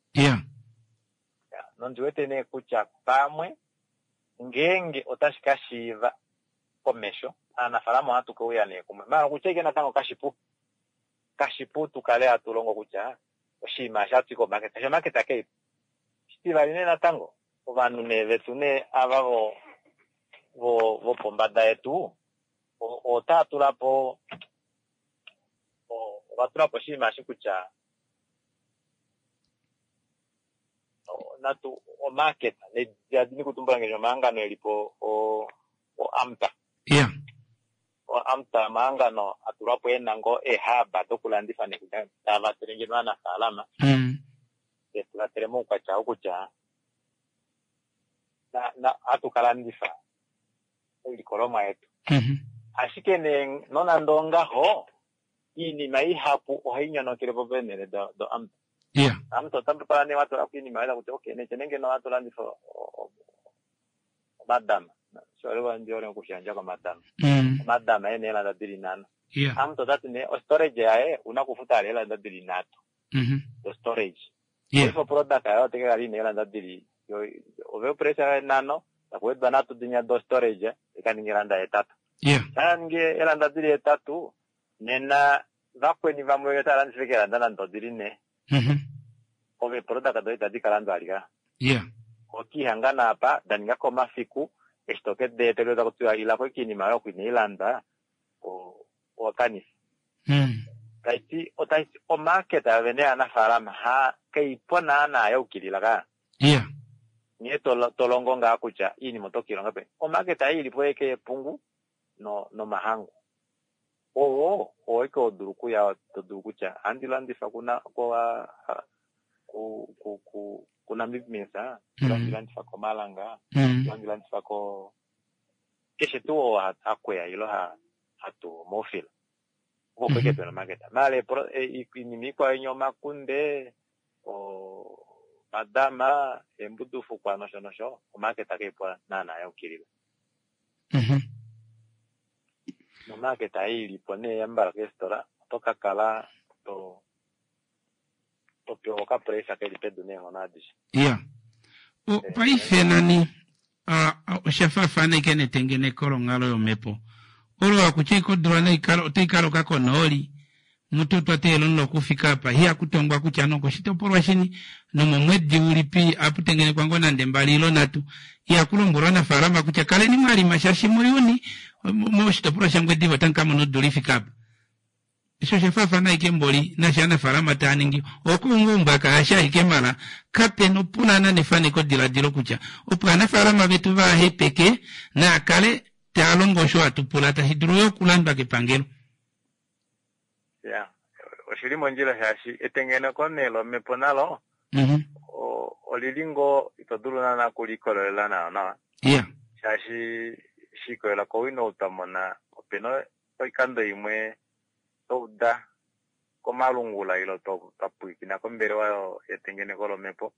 Nondi wete nee kutya pamwe ngeenge otashi ka shiiva komesho, aanafaalama ohatu ke uya nee kumwe. Maala okutya ashike natango kashipu. Kashipu tu kale hatu longo kutya oshinima eshi ohatu i komarket, shaashi omarket kai po. Oshitivali nee natango, ovanhu nee vetu nee ava vo vo vopombada yetu otava tula po ova tula po oshinima eshi kutya natu omarket nedini kutumbula ngaashi omahangano e li po oAMTA. OAMTA omahangano a tulwa po e na ngoo eehaba dokulandifa nekutya tava vatele ngeno aanafaalama te tu vatele moukwatya wokutya hatu ka landifa oilikolomwa yetu. Ashike nee nonande ongaho, iinima ihapu ohai nyonokele po peenhele doAMTA. Yeah. Omuntu ota kala nee watula ko iinima yoye takuti okay netse nenge no hatu landifa omadama oshiholelwa ndi hole okushiyandja komadama. Omadama ena eelanda dili nhano. Omuntu otati nee ostorage yaye una okufuta ala eelanda dili nhatu do storage. Paife oproduct yaye otai kakala ina eelanda dili ove opresa yoye nhano takuwedwa nhatu dinya do storage ikaninga eelanda hetatu. Sha ningi eelanda dili hetatu nena vakweni vamwe otava landifa ashike eelanda nande odili nhee. Ove eeproduct doye itadi ka landwa alika. Okiihangana apa da ninga ko omafiku eshi to ke di etelwa taku tiwa ila ko kiinima yoye oku inai landwa owa kanifa. Tai ti otai ti omarket yovene yaanafaalama ha kai po naana ya ukilila ka. Nghee to to longo ngaa kutya iinima oto ke i longa peni. Omarket ei ili po eke yepungu no nomahangu. Owo owo ike ho dulu okuya to dulu kutya ohandi landifa kuna ko ku ku ku kuNamib Mills, ohandi landifa koMalanga, ohandi landifa ko keshe tuu oo ha kweya ilo ha hatu omaufila. Oko oko ike pena omarket. Maala iinima ikwao inya omakunde, omadama, eembudufukwa nosho nosho, omarket kaipo naana ya ukilila. Nomarket ei ili po nee yambala keefitola oto ka kala to to pewa okapresa keli pedu neenghono adishe. Ya. Paife nani osha faafana ike netengeneko longhalo yomhepo olo hakutya ike odula otai ka loka konooli mutu otwa teelela omuloka u fike apa ihaku tongwa kutya nokoshitopolwa shini nomomwedi ulipi apu tengenekwa ngoo nande mbali ilo nhatu. Ihaku lombwelwa ovanafaalama kutya kaleni mwa lima shaashi muJuni moshitopolwa shaNgwediva otamu ka mona odula i fike apa. Eshi osha faafana ashike mboli naashi aanafaalama taa ningi okuungaunga kaashi ashike mala kape na opulana nefanekodiladilo kutya opo aanafaalama vetu vaa hepeke naa kale taa longo osho hatu pula tashi dulu yo okulandwa kepangelo. Ya, oshili mondjila shaashi etengeneko nee lomhepo nalo olili ngoo ito dulu naana okuliikololela nawa nawa. Shaashi shi ikolelela kowino ou twa mona opena oikando imwe twa uda komalungula ilo twa pwilikina kombelewa yetengeneko lomhepo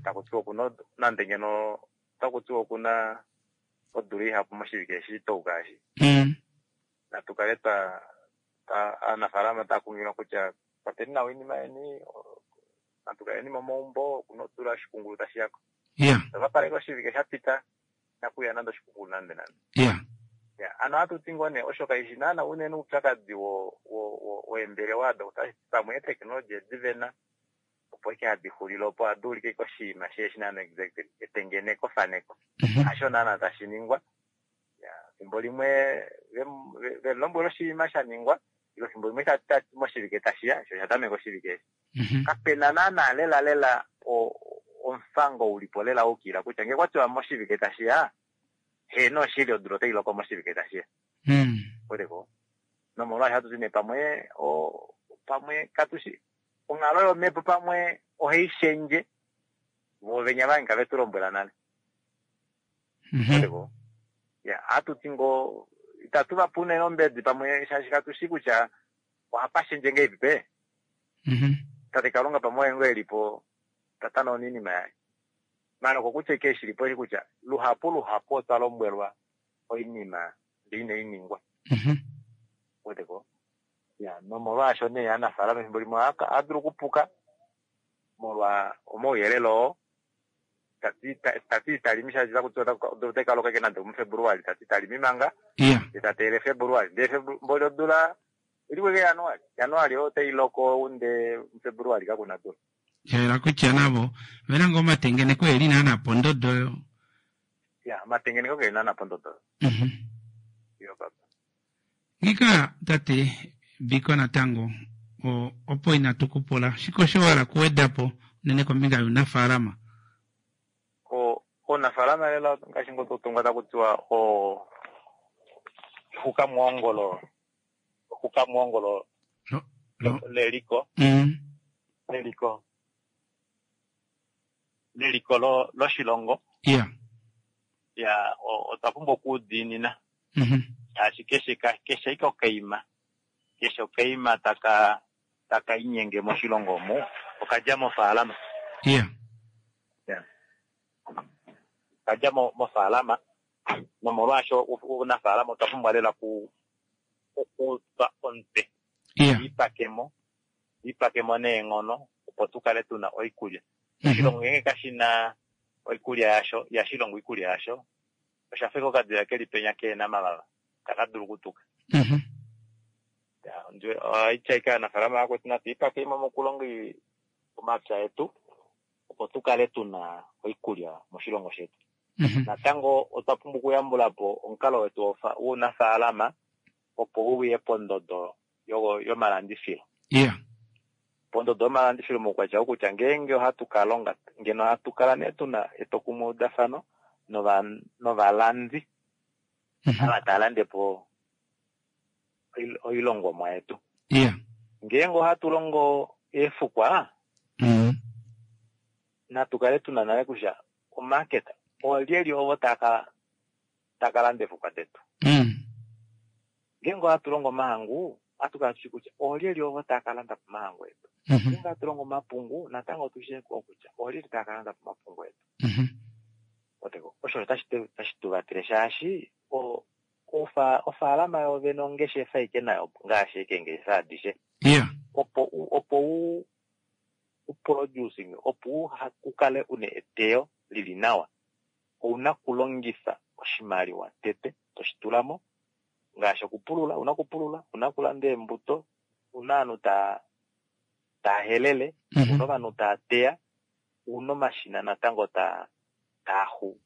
taku tiwa okuna nande ngeno otaku tiwa okuna odula ihapu moshivike eshi twauka eshi. Natu kale twa aanafaalama tava kunghililwa kutya kwateni nawa oinima yeni, natu kaleni momaumbo, okuna odula oshikungulu tashi ya ko. Otwa paleka oshivike sha pita inaku uya nande oshikungulu nande nande. Ya, ano ohatu ti ngoo nee osho kaishi naana unene oupyakadi wo wo weembelewa odo otashi ti pamwe eeteknologi edi vena opo ike hadi xulile opo ohadi ulike ike oshinima sheeshi naana exactly etengeneko faneko hasho naana tashi ningwa. Ya, fimbo limwe ve lombwela oshinima sha ningwa ilo fimbo limwe tati moshivike tashi ya sho osha tameka oshivike eshi. Kapena naana lela lela omufango ulipo lela waukilila kutya ngee kwa tiwa moshivike tashi ya, heeno oshili odula otai loko moshivike tashi ya. Weteko? Nomolwaasho hatu ti nee pamwe pamwe katushi onghalo yomhepo pamwe ohai shendje vo venya vange kave tu lombwela nale. Weteko? Ya, ohatu ti ngoo itatu va pe unene ombedi pamwe shaashi katu shi kutya ohapa shendje ngahelipi pe. Tate Kalunga pamwe oye ngoo e li po ta tanauna oinima yaye. Maala okokutya ashike eshi li po eshi kutya luhapu luhapu otwa lombwelwa oinima ndele inai ningwa. Wete ko? Ya, nomolwaasho nee aanafaalama efimbo limwe ohava dulu okupuka molwa omauyelele oo. Ta ti ta ti ita limi shaashi taku tiwa odula otai ka loka ashike nande omuFebuluali, ta ti ita limi manga, ye ta teelele Febuluali. Ndele efimbo lodula Iliweke Januali. Januali otai loko unde muFebruali kakuna dula. Sha yela kutya navo ovena ngoo omatengeneko eli naana pondodo oyo. Ya, omatengeneko keli naana pondodo oyo. Iyo papa. Ngika tate Biko natango opo inatu ku pula shike osho wa hala okuweda po unene kombinga younafaalama? Ounafaalama lela ngaashi ngoo tau tongwa taku tiwa o ehukamuhongolo ehukamuhongolo leliko leliko leliko loshilongo. Ya, otwa pumbwa okuudiinina shaashi keshe keshe ike okaima keshe okaima taka taka inyenge moshilongo omu. Okadja mofaalama. Yeah. Yeah. Okadja mofaalama nomolwaasho uunafaalama otwa pumbwa lela okutwa omutwe. Yeah. Ipakemo, ipakemo neenghono opo tu kale tuna oikulya. Oshilongo ngeenge kashi na oikulya yasho, ihashi longo oikulya yasho, osha fa okadila keli penya keena mavava, taka dulu okutuka. Ohaitya ike aanafaalama vakwetu natu ipakemo mokulonga omapya etu opo tu kale tuna oikulya moshilongo shetu. Natango otwa pumbwa okuyambula po omukalo wetu wounafaalama opo uye pondodo yomalandifilo. Yeah. Pondodo yomalandifilo moukwatya wokutya ngeenge ohatu ka longa ngeno ohatu kala nee tuna etwokumweudafano novalandi ava tava lande po oilongomwa yetu. Yeah. Ngeenge ohatu longo eefukwa, natu kale tuna nale kutya omarket olyelye ovo taka landa eefukwa detu. Ngeenge ohatu longo omahangu, ohatu kala tushi kutya olyelye ovo taka landa po omahangu etu. Ngeenge ohatu longo omapungu, natango otushi kutya olyelye taka landa po omapungu etu. Osho otashi tu vatele shaashi ofaalama yovene ongeshefa ike nayo ngaashi eke ngeshefa adishe. Yeah. Opo u producing, opo u kale une eteyo lili nawa, ouna okulongifa oshimaliwa tete toshi tulamo ngaashi okupulula, ouna okupulula, ouna okulanda eembuto, ouna ovanhu taa helele, ouna ovanhu taa teya, ouna omashina natango taaxu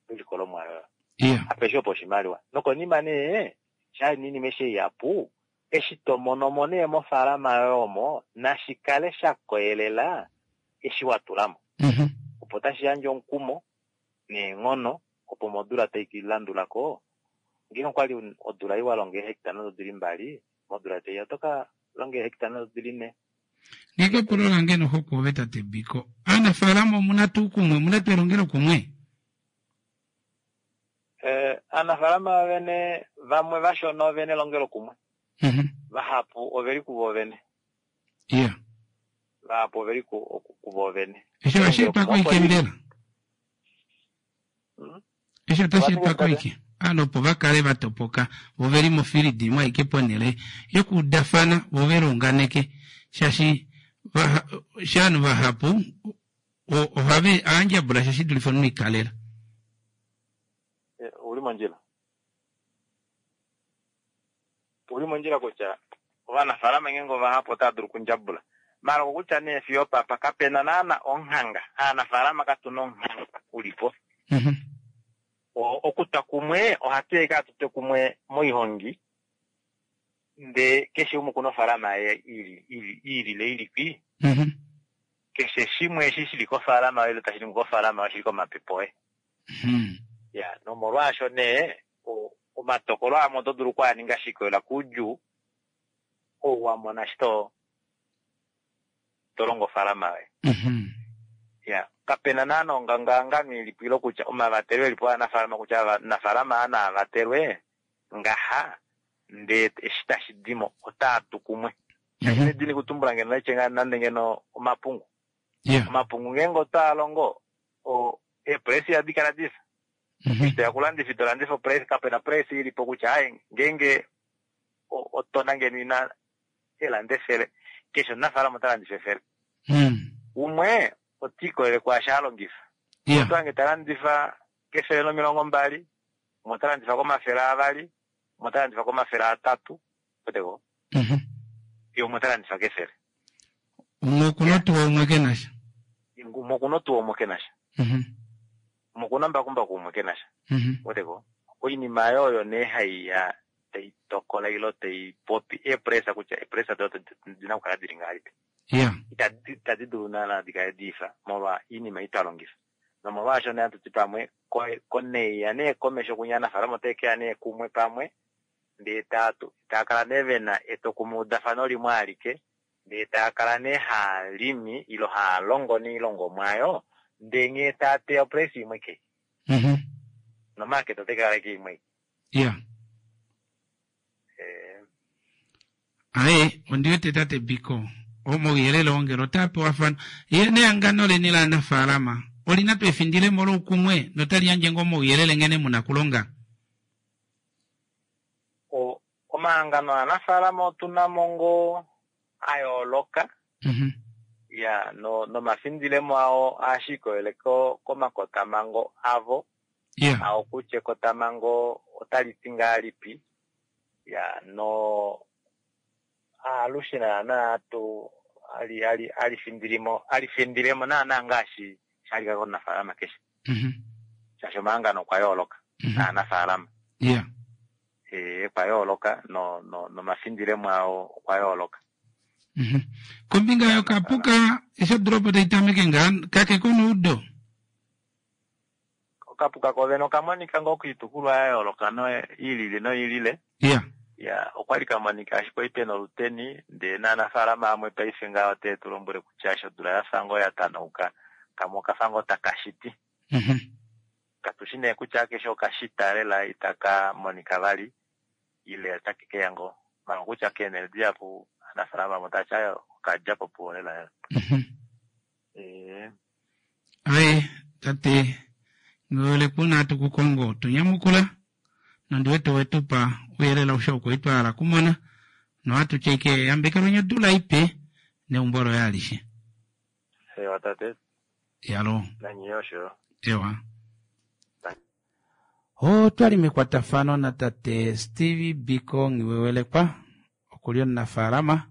oilikolomwa yoyo. Yeah. Apeshe opo oshimaliwa. Nokonima nee, sha inima eshi ihapu, eshi to mono mo nee mofaalama yoye omo, nashi kale sha koyelela eshi wa tula mo. Opo tashi yandje omukumo neenghono, opo modula tai landula ko, ngeenge okwali odula iwa longa eehecta nhano dili mbali, modula taiya oto ka longa eehecta nhano dili 4. Ngeenge epulo lange nohokwe ove tate Biko, aanafaalama omuna tuu kumwe, omuna tuu elongelo kumwe? Aanafaalama vene vamwe vashona ovene elongelo kumwe. Vahapu oveli kuvo vene. Yeah. Vahapu oveli kuvo vene. Eshi ohashi etwa koike mbela? Eshi otashi etwa koike? Ovanhu opo va kale va topoka, vo veli mofilidi imwe aike ponhele yokuudafana, vo ve liunganeke. Shaashi ovanhu vahapu ohave aandjabula sha shi dulife omunhu ikalela. Ouli mondjila. Ouli mondjila kutya ovanafaalama ngeenge ovahapu otava dulu okundjabula. Maala okokutya nee fiyo opapa kapena naana onghanga. Aanafaalama katuna onghanga ulipo. Okutwa kumwe ohatu ya ike tutwe kumwe moihongi ndee keshe umwe okuna ofaalama yaye iilile ilipi. Keshe shimwe eshi shili kofaalama yoye ile tashi ningwa kofaalama yoye oshili komapepe oye. Ya, nomolwaasho nee omatokolo amwe oto dulu okwaaninga shi ikolelela koudjuu ou wa mona eshi to longo ofaalama yoye. Ya, kapena naana ongangahangano ilipo ile kutya omavatelo elipo aanafaalama kutya ovanafaalama aa naa vatelwe ngaha ndee eshi tashi dimo otaa tu kumwe. Kashi na edini kutumbula ngeno naitye ngaa nande ngeno omapungu. Omapungu ngeenge otaa longo eepresi ihadi kala difa. Eshi toya kulandifa ito landifa opresi, kapena opresi ilipo kutya aye ngeenge otona ngeno ina elanda 100, keshe omunafaalama ota landifa 100. Umwe ota ikolele kwaasho a longifa. Oto hange ta landifa ke120, umwe ota landifa ko200, umwe ota landifa ko300, oteko. Ye umwe ota landifa ke100. Umwe okuna otuwa, umwe ke na sha. Umwe okuna otuwa, umwe ke na sha. Umwe okuna mbakumbaku, umwe ke na sha. Oteko. Oinima oyo oyo nee hai ya tai tokola ilo tai popi eepresa kutya eepresa do dina okukala dili ngahelipi. Itadi dulu naana di kale diifa molwa oinima ei twa longifa. Nomolwaasho nee hatu ti pamwe koneya nee komesho kunya aanafaalama otae keya nee kumwe pamwe ndee taa kala nee vena etwokumweudafano limwe alike ndee taa kala nee haa limi ilo haa longo noilongomwa oyo ndee nghee taa teya opresi imwe kei. Nomarket otai kala ike imwe. Yeah. Aye, ondi wete tate Biko. Omauyelele oo ngele otaa pewafana. Ye nehangano leni laanafaalama oli na tuu efindilemo loukumwe notali yandje ngoo omauyelele nghene mu na kulonga? Omahangano aanafaalama otu na mo ngoo a yooloka. Ya, no, nomafindilemo ao ohashi ikolele komakotamhango avo. Ao kutya ekotamhango otali ti ngahelipi. Ya, no alushe naana tu ali ali ali findilimo ali findilemo naana ngaashi shalika komunafaalama keshe. Shaashi omahangano okwa yooloka naanafaalama. Okwa yooloka nomafindilemo ao okwa yooloka. Kombinga yokapuka eshi odula opo tai tameke ngaa kake konoudo? Okapuka kovene okamonika ngoo koitukulwa ya yooloka i lili noi lile. Ya, okwali ka monika ashike kwali pena oluteni, ndee naanafaalama vamwe paife ngaa ote tu lombwele kutya eshi odula yafa ngoo ya tanauka, kamwe okafa ngoo taka shiti. Katushi nee kutya akeshe okashita lela itaka monika vali, ile otake keya ngoo. Manga kutya keenhele dihapu aanafaalama vamwe otava ti aaye okadja po puwo lela lela. Aye, tate, ngele ku na hatu ku kongo, tu nyamukula, nondi wete owe tu pa ouyelele aushe oo kwali twa hala okumona, nohatu tya ike yambekelweni odula ipe neumbo loye alishe. Ewa tate. Yalo. Nanye osho yo. Ewa. Otwali mekwatafano natate Steve Biko Nghiwewelekwa, okuli omunafaalama,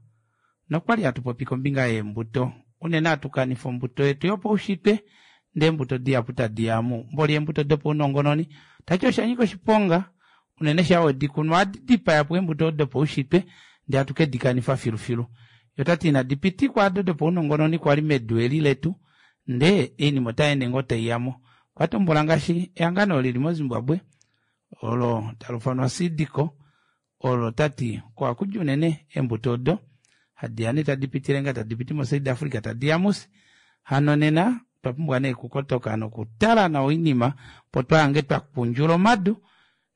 nokwali hatu popi kombinga yeembuto. Unene hatu kanifa ombuto yetu yopaushitwe, ndee eembuto dihapu tadi ya mu mboli eembuto dopaunongononi. Tati osha nyika oshiponga, unene shaa wedi kunu ohadi dipaya po eembuto odo dopaushitwe, ndee hatu ke di kanifa filufilu. Ye ota ti inadi pitikwa ado dopaunongononi kwali medu eli letu, ndee oinima otai ende ngoo tai ya mo. Okwa tumbula ngaashi ehangano lili moZimbabwe olo tali ufanwa Seed Co, olo ta ti oko haku di unene eembuto odo hadi ya nee tadi pitile ngaa tadi piti moSouth Africa tadi ya mufye. Hano nena otwa pumbwa nee okukotoka nokutala nawa oinima opo twahange twa kundjula omadu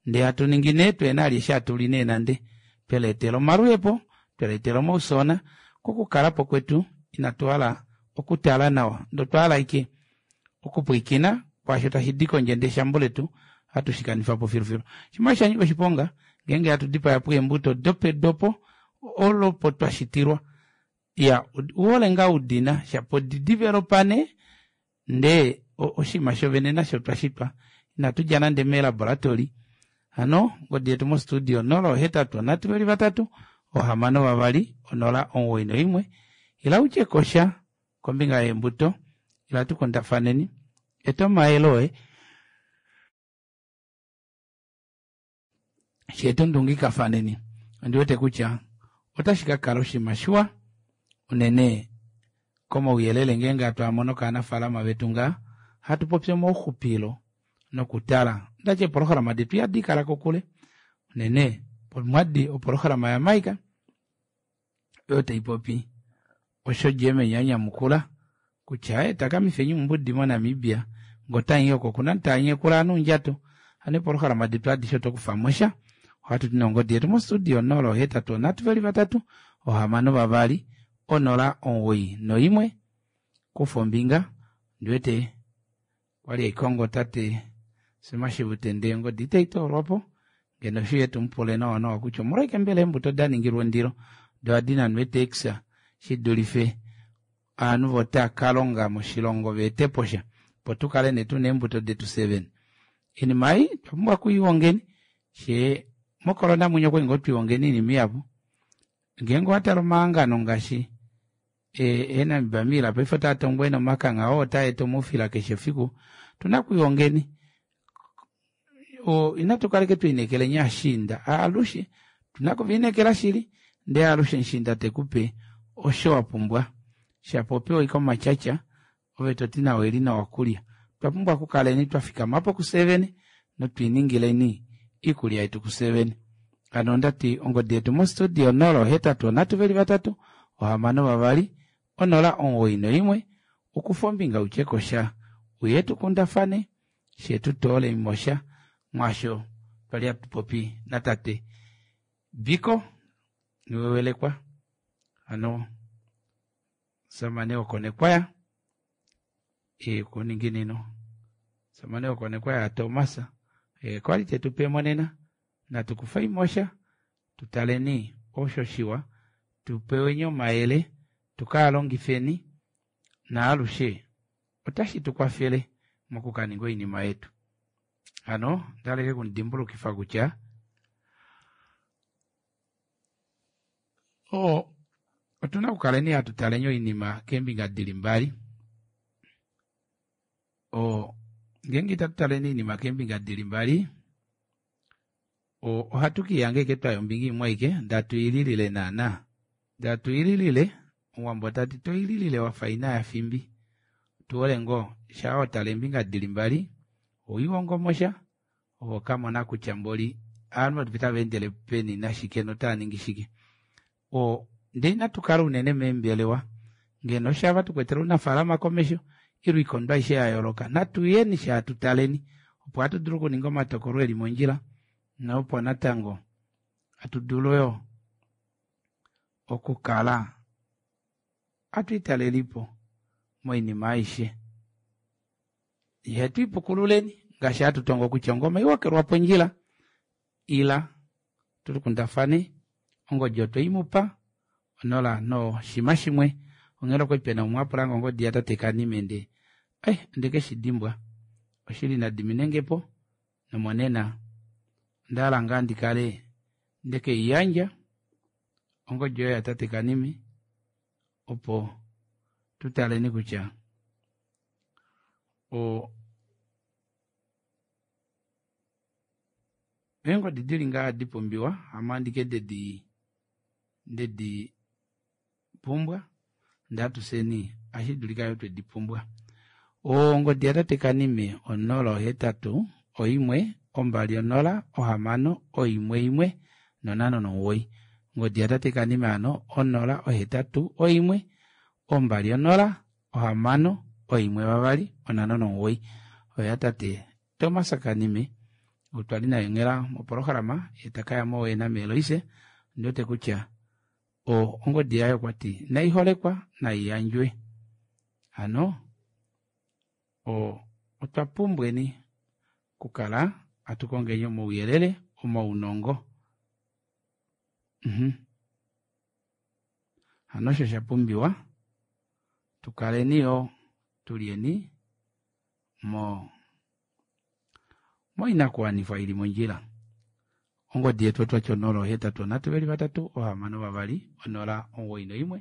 ndee hatu ningi nee tuhena vali eshi hatu li nee nande twe leetela omaluhepo, twe leetela omaufyoona kokukala po kwetu inatu hala okutala nawa ndee otwa hala ashike okupwiikina kwaasho tashi di kondje ndee eshambo letu ohatu shi kanifa po filufilu. Shimwe osha nyika oshiponga ngeenge hatu dipaya po eembuto dopedu opo olopo twa shitilwa. Ya, uhole ngaa udina shapo di developa nee ndee oshinima shovene nasho twa shitwa inatu dja nande meelaboratory. Hano ongodi yetu mostudio 083 6 2 091 ila utye kosha kombinga yeembuto ila tu kundafaneni eta omayele oye she tu ndungikafaneni. Ondi wete kutya otashi ka kala oshinima shiwa unene komauyelele ngeenge hatu a mono kaanafaalama vetu ngaa hatu popi omauxupilo nokutala ndati eepolohalama detu ihadi kala kokule unene pomwadi opolohalama yaMike oyo tai popi osho Germany a nyamukula kutya aye takamifeni ombudi moNamibia ngotanyi oko kuna ntaanyekula nuundjato hano eepolohalama detu adishe oto kufa mo sha ohatu ti nongodi yetu mostudio 083 3 6 2 091 kufa ombinga ndiwete kwali aikongo tate Simashivute ndee ongodi itai toolwa po ngeno shi yetu mupule nawa nawa kutya omolwashike mbela eembuto da ningilwa ondilo doo ohadi nanwa eetekisa shi dulife ovanhu votaa ka longa moshilongo va ete po sha opo tu kale nee tuna eembuto detu fye vene. Oinima ei otwa pumbwa okuihongeni shee mocorona mwinya okwali ngoo twiihongeni oinima ihapu. Ngeenge owa tale omahangano ngaashi eenamiba miila paife otaa tongwa ena omakangha oo otaa eta omaufila keshe efiku otuna okuihongeni inatu kaleke twiinekeleni ashiinda alushe otuna okuviinekela shili ndee alushe mushiinda tekupe osho wa pumbwa shapo opewa ashike omatyatya ove toti nawa eli nawa kulya otwa pumbwa okukaleni twa fikama po kufye vene notwiiningileni iikulya yetu kufye vene hano ondati ongodi yetu mostudio 083 3 6 2 091 ukufa ombinga utye kosha uye tukundafane she tu toole mosha mwaasho twali hatu popi natate Biko Niwewelekwa hano. Omusamane wokonekwaya e kuninginino omusamane wokonekwaya Thomas e kwali tetu pe monena natu kufaimosha tutaleni osho shiwa tupeweni omayele tukalongifeni naalushe otashi tukwafele mokukaninga oinima yetu hano ndaleke kumudimbulukifa kutya o otuna okukaleni hatu taleni oinima keembinga dili mbali o ngeenge itatu taleni oinima keembinga dili mbali ohatu kiihange ike twaya ombinga imwe aike ndatuililile naana ndatuililile omuwambo tati toililile wafa ina yafimbi tuole ngoo shaa watala eembinga dili mbali owiihongomosha ove okamona kutya mboli ovanhu otava endele peni nashike notava ningi shike o ndee inatu kala unene meembelewa ngeno shava tukwetele ounafalama komesho ile oikondo aishe ya yooloka natuyeni shaa tutaleni opo hatu dulu okuninga omatokolo eli mondjila nopo natango hatu dulu yo okukala hatu italelipo moinima aishe ihetu ipukululeni ngaashi hatu tongo kutya ongoma iwokelwa pondjila ila tulikundafane ongodi otweimupa onola noshima shimwe onghela okwali pena umwe apulanga ongodi yatate Kanime ndee ai ondeke shidimbwa oshili nadiminengepo nomonena ondahala ngaa ndikale ndekeiyandja ongodi oyo yatate Kanime opo tutaleni kutya o eengodi dili ngaa dipumbiwa hamo andike dedi ndedi pumbwa ndee atuseni ashidulika yoo twedi pumbwa ongodi yatate Kanime 081 20 6 11 59. Ongodi yatate Kanime hano 081 20 6 12 59 oyo yatate Thomas Kanime otwali naye onghela mopolohalama ye takaya mo nameeloise ondiwete kutya ongodi yaye okwati naiholekwa naiyandjwe hano otwa pumbweni okukala hatu kongeni omauyelele omaunongo hano osho shapumbiwa tukaleni yo tulyeni mo moinakuwanifwa ili mondjila ongodi yetu otwati 083 3 6 2 0 91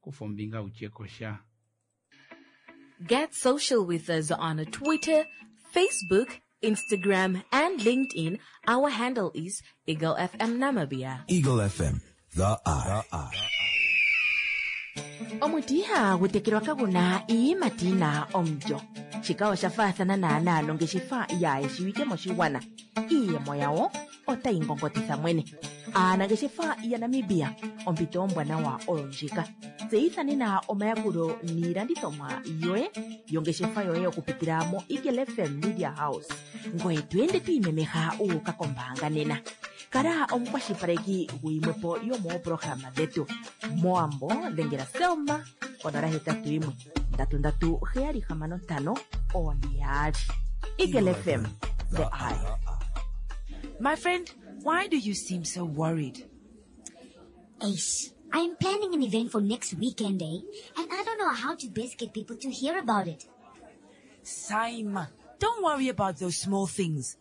kufa ombinga utyekosha Get social with us on Twitter, Facebook, Instagram, and LinkedIn. Our handle is Eagle FM Namibia. Eagle FM, the eye. Omuti ihagu tekelwa kaguna iiyimati yina omulyo. Shika osha faathana naanaa nongeshefa yaayeshiwike moshigwana. Iiyemo yawo otayi ngongotitha mwene. Aanangeshefa yaNamibia, ompito ombwanawa oyo ndjika. Tseyitha nena omayakulo niilandithomwa yoye yongeshefa yoye okupitila mo Eagle FM Media House. Ngoye to ende to imemeha wu uka kombaanga nena. Kala omukwashilipaleki guyimwepo yomoopolohalama dhetu. Mowambo dhengela Selma 081 33 765 42. Eagle FM, the eye. My friend, why do you seem so worried? Ace, I'm planning an event for next weekend, eh? And I don't know how to best get people to hear about it. Saima, don't worry about those small things.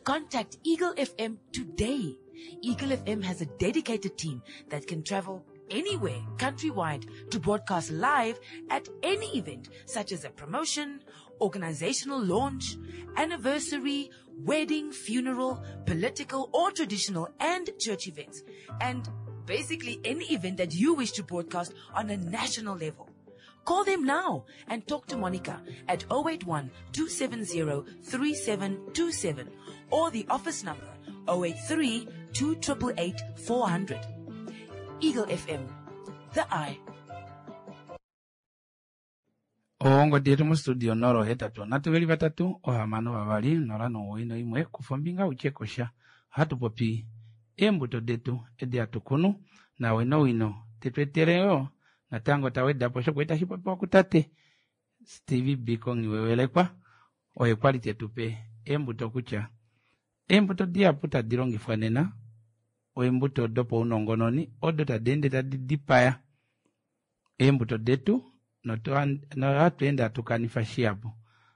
Contact Eagle FM today. Eagle FM has a dedicated team that can travel anywhere countrywide to broadcast live at any event such as a promotion, organizational launch, anniversary, wedding, funeral, political or traditional and church events, and basically any event that you wish to broadcast on a national level. Call them now and talk to Monica at 081 270 3727 or the office number 083 288 400. Eagle FM, the eye. Ongodi yetu mostudio 083 3 6 2 091 kufa ombinga utyekosha ohatu popi eembuto detu edi hatu kunu nawinowino tetweetele yo Natango ta weda po osho kwali tashi popiwa kutate Steve Biko Nghiwewelekwa, oye kwali te tu pe eembuto kutya eembuto dihapu tadi longifwa nena oembuto dopaunongononi odo tadi ende tadi dipaya eembuto detu nohatu ende hatu kanifa shihapu.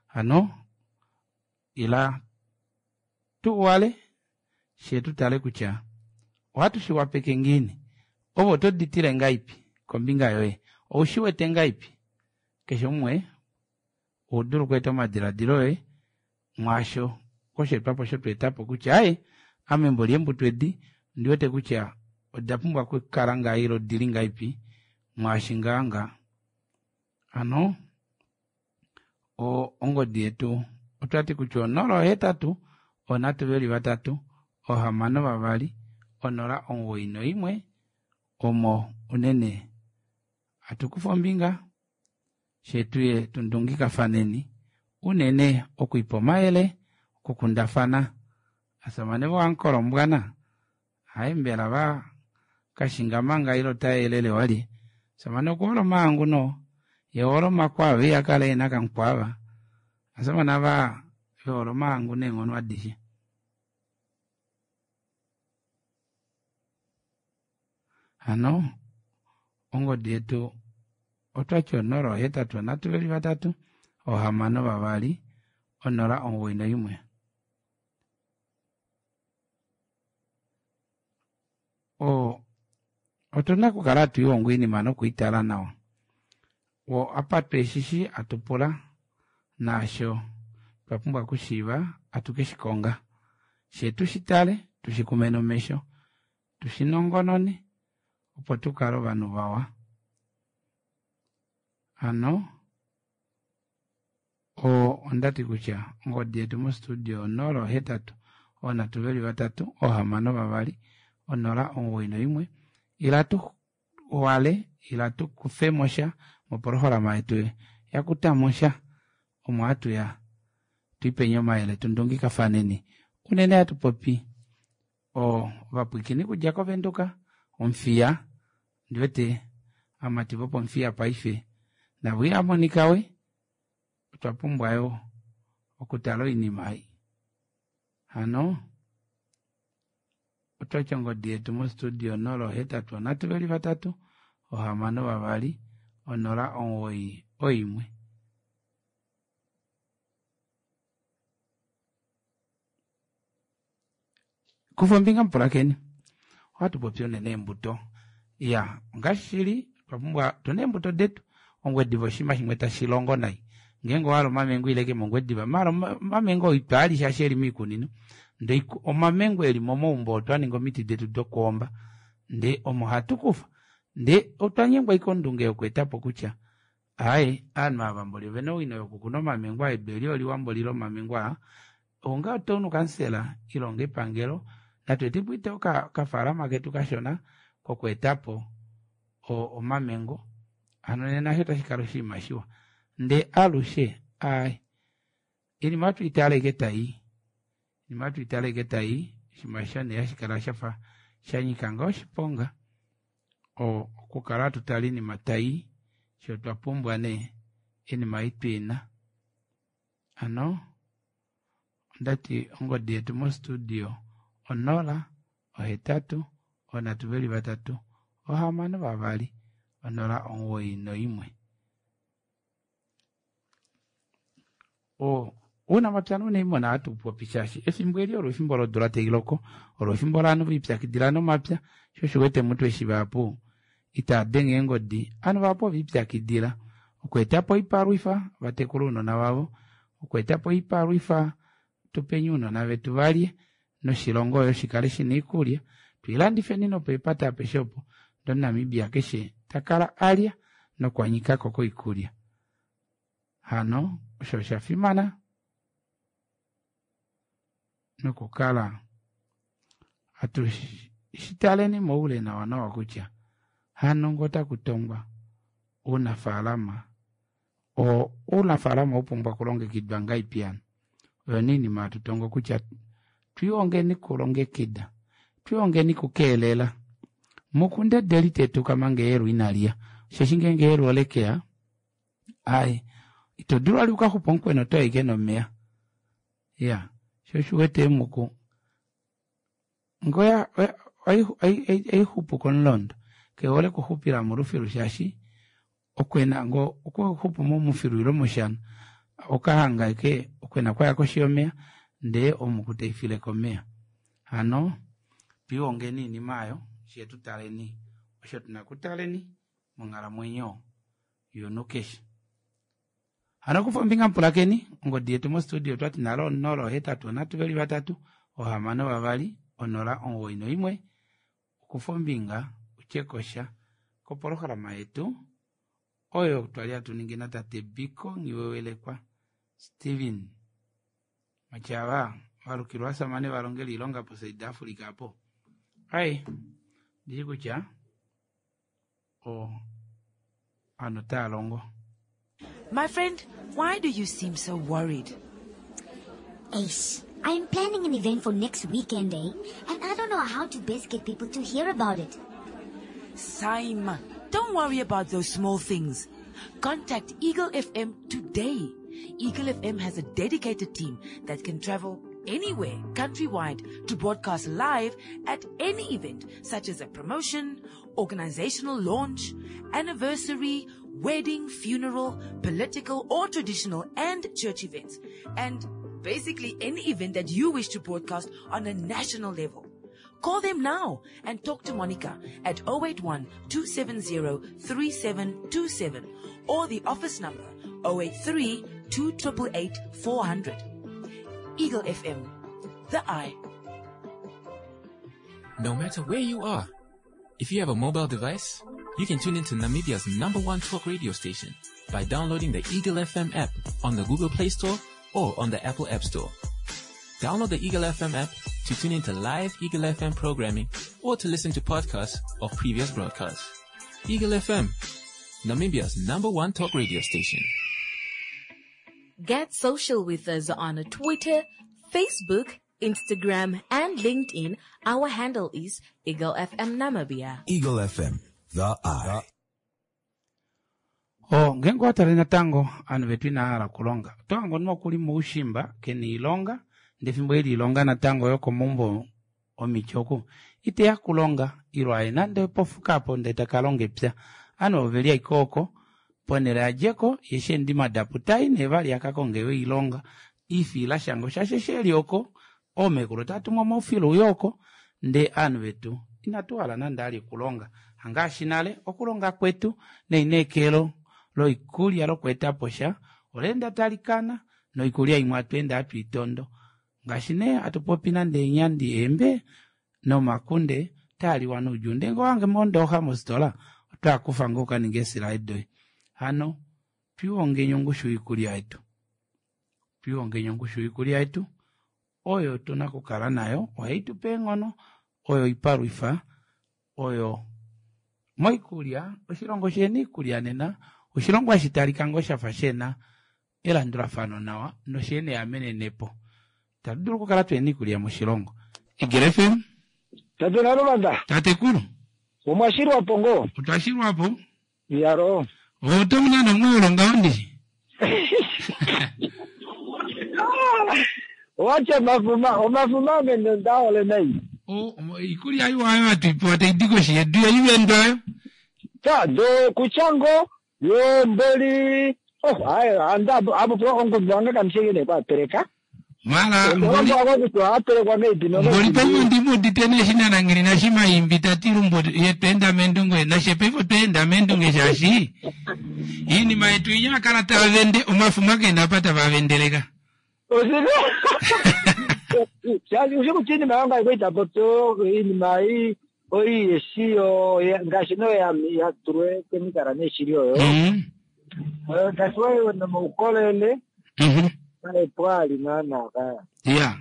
Hano ila tu wale she tu tale kutya ohatu shi wapeke ngiini. Ove oto ditile ngaipi kombinga yoye, oushi wete ngaipi? Keshe umwe oudulu okweeta omadiladilo oye mwaasho kosheetwapo osho tweetapo kutya aye ame embo lyembuto edi ondi wete kutya oda pumbwa okukala ngaa ile odili ngaipi mwaashi ngaa ngaa. Hano ongodi yetu otwati kutya 083 323 6 091 omo unene hatukufa ombinga shetuye tundungikafaneni unene okwiipa omayele okukundafana asamane voankolombwana hayi mbela va kashinga manga ile otayelele wali samane okuhola omahangu no ye hole omakwava ihakala ena kankwava asamane ava vehole omahangu neenghono adishe. Hano ongodi yetu otwati 083 323 6 091. Otuna okukala hatu ihongo oinima nokuitala nawa. Wo apa tweshishi atupula naasho twa pumbwa okushiiva atuke shikonga. She tushitale tushikume nomesho tushinongonone opo tukale ovanhu vawa. Hano ondati kutya ongodi yetu mostudio 083 323 6 091 ila tu wale ila tu kufe mosha mopolohalama yetu yakuta mosha omo hatu ya tuipenye omayele tundungikafaneni unene hatu popi ovapwiikini kudja kovenduka Omuthiya ndiwete amati vopomuthiya paife navo ihamonika we otwa pumbwa yo okutala oinima ei. Hano otwati ongodi yetu mostudio 083 323 6 091. Kufa ombinga mupulakeni ohatu popi unene eembuto ya ngaashi shili otwa pumbwa tuna eembuto detu ongwediva oshinima shimwe tashi longo nai ngeenge owahala omamengo ile ke mongwediva maala omamengo itwaali shaashi eli miikunino ndee omamengo eli momaumbo otwaninga omiti detu dokwoomba ndee omo hatu kufa ndee otwa nyengwa ashike ondunge yokweetapo kutya aaye ovanhu ava mboli ovena owino yokukuna omamengo aa edu eli oliwa mboli lomamengo aa onga otown kansela ile onga epangelo natu etepo ite okafaalama ketu kashona kokweetapo omamengo hano nena osho tashi kala oshinima shiwa ndee alushe aaye iinima ohatu itale ashike tai iinima ohatu itale ashike tai oshinima osho nee hashi kala shafa shanyika ngoo oshiponga okukala hatu tale iinima tai shoo otwa pumbwa nee iinima ei twiina. Hano ondati ongodi yetu mostudio 0 8 323 6 091. Ounamapya nounaimuna ohatu popi shaashi efimbo eli olo efimbo lodula tailoko olo efimbo lovanhu veipyakidila nomapya sho osho uwete mutu eshi vahapu itaadenge eengodi ovanhu vahapu oveipyakidila okweetapo oipalwifa vatekule ounona vavo okweetapo oipalwifa tupeni ounona vetu valye noshilongo yo shikale shina oikulya tuilandifeni nopeepata apeshe opo ndee omunamibia keshe takala alya nokwanyikako koikulya. Hano osho osha fimana nokukala hatu shitaleni moule nawa nawa kutya hano ngoo otakutongwa ounafaalama ounafaalama oupumbwa okulongekidwa ngaipi hano oyo nee oinima hatu tongo kutya twiihongeni kulongekida twiihongeni kukeelela mukundedeli tetuka manga eyelu inaliya Osheshi ngeenge eyelu ole ke ya, ai, ito dulu vali ukaxupa omukwena oto ashike nomeya. Ya, sho osho uwete eemuku ngee ohaixupu komulondo, ke hole okuxupila molufilu shaashi okwena ngoo okuxupu momufilu ile moshana okahanga ashike okwena kwaya koshi yomeya ndee omuku taifile komeya. Hano twiihongeni iinima aayo fyee tutaleni osho tuna okutaleni monghalamwenyo yomunhu keshe. Hano kufa ombinga mupulakeni, ongodi yetu mostudio otwati nalo 0 8 3 3 6 2 0 9 1 okufa ombinga utye kosha kopolohalama yetu oyo twali hatu ningi natate Biko Nghiwewelekwa Steven Matyava valukilwa vasamane valongela iilonga poSouth Africa apo. Ai, ndishi kutya o ovanhu otava longo. My friend, why do you seem so worried? Ace, I'm planning an event for next weekend, eh? And I don't know how to best get people to hear about it. Saima, don't worry about those small things. Contact Eagle FM today. Eagle FM has a dedicated team that can travel anywhere countrywide to broadcast live at any event such as a promotion, organizational launch, anniversary, wedding, funeral, political or traditional and church events, and basically any event that you wish to broadcast on a national level. Call them now and talk to Monica at 081 270 3727 or the office number 083 288 400. Eagle FM, the eye. No matter where you are, if you have a mobile device, you can tune into Namibia's number one talk radio station by downloading the Eagle FM app on the Google Play Store or on the Apple App Store. Download the Eagle FM app to tune into live Eagle FM programming or to listen to podcasts of previous broadcasts. Eagle FM, Namibia's number one talk radio station. Get social with us on Twitter, Facebook, Instagram, and LinkedIn. Our handle is Eagle FM Namibia. Eagle FM, the eye. O, ngeenge owa tale natango ovanhu vetu inava hala okulonga oto hange omunhu okuli moushimba kena oilonga ndee fimbo eli ilonga natango yokomaumbo omiti oku iteya kulonga ilo aye nande pofuka apo ndee taka longa epya ovanhu oveli ashike oko ponhele adjeko ye eshi eendima dapu tai nee vali akakonge yo oilonga ifiila shango shaashi eshi eli oko oomekulu otava tumwa omaufilo uye oko ndee ovanhu vetu inatu hala nande ali okulonga hangaashi nale okulonga kwetu neineekelo loikulya lokweetapo sha oleenda talikana noikulya imwe atweenda hatu itondo ngaashi nee hatu popi nande eenyandi eembe nomakunde taaliwa noudjuu ndee ngee owahange mondooxa mofitola otwaakufa ngoo ukaninge eesilaye doye hano twiihongeni ongushu yoikulya yetu twiihongeni ongushu yoikulya yetu oyo tuna okukala nayo ohai tupe eenghono oyo oipalwifa oyo moikulya oshilongo shena oikulya nena oshilongo hashi talika ngoo shafa shena elandulafano nawa noshena eamenenepo itatu dulu okukala tuhena oikulya moshilongo Eagle FM Tate Naluvanda. Tatekulu. Omwa shilwapo ngoo? Otwa shilwapo. Iyalo. Oto mu nande omweelo ngaho ndishi. Owatya omafuma, omafuma ame nda hole nai. Oikulya iwa oyo hatu ipewa tai di koshi yedu yo iwendo oyo. Ta do kutya ngo yo mboli oh aye anda apo po ongundu wange kamusheke ne kwa teleka. Mara mboli mboli paife ondimuudite nee eshi nanangili nashimaimbi ta ti lumbo ye tweenda meendunge nashe paife otweenda meendunge shaashi iinima yetu inya ya kala tava vende omafuma kena apa tava vendeleka. Oshili shaashi ushi kutya iinima yonga iko ita popi iinima ei oi yeshi yo ngaashi no ya ya tulwe kemikala neshili oyo. Mm. Ngaashi wayo nomaukolele. Mm -hmm. Pwali naana ka. Ya.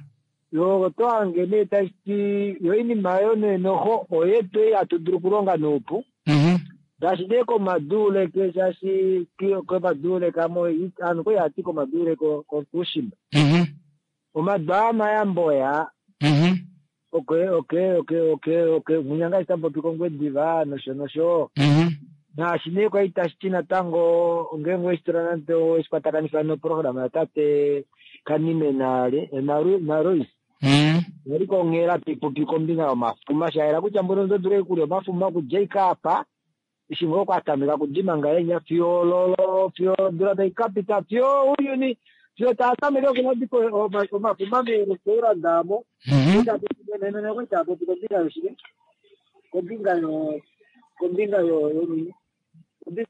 Yo oto hange nee tashi ti yo iinima yo nee noho oyetu ei hatu dulu okulonga noupu. Mm Ngaashi nee komaduuleke shaashi komaduuleke amo aanhu kwali haya ti komaduuleke kokuushimba. Mm Omadu aa mayambo yaa. Oke oke oke oke oke munya ngaashi tamu popi kOngwediva nosho nosho. Naashi nee kwali tashi ti natango ngeenge oweshi nande oweshikwatakanifa noprograma yatate Kanime naRois. Yali konghela taipopi kombinga yomafuma, shayela kutya mbono oto dulu okulya omafuma okudja ashike apa eshi ngoo kwatameka kudima ngahenya fiyo lolo fiyo odula tai kapita fiyo ouyuni fiyo taatameke okulandifa omafuma meerestaurant amo. Kwali taapopi kombinga yoshike, kombinga yo kombinga yo yonini, kombinga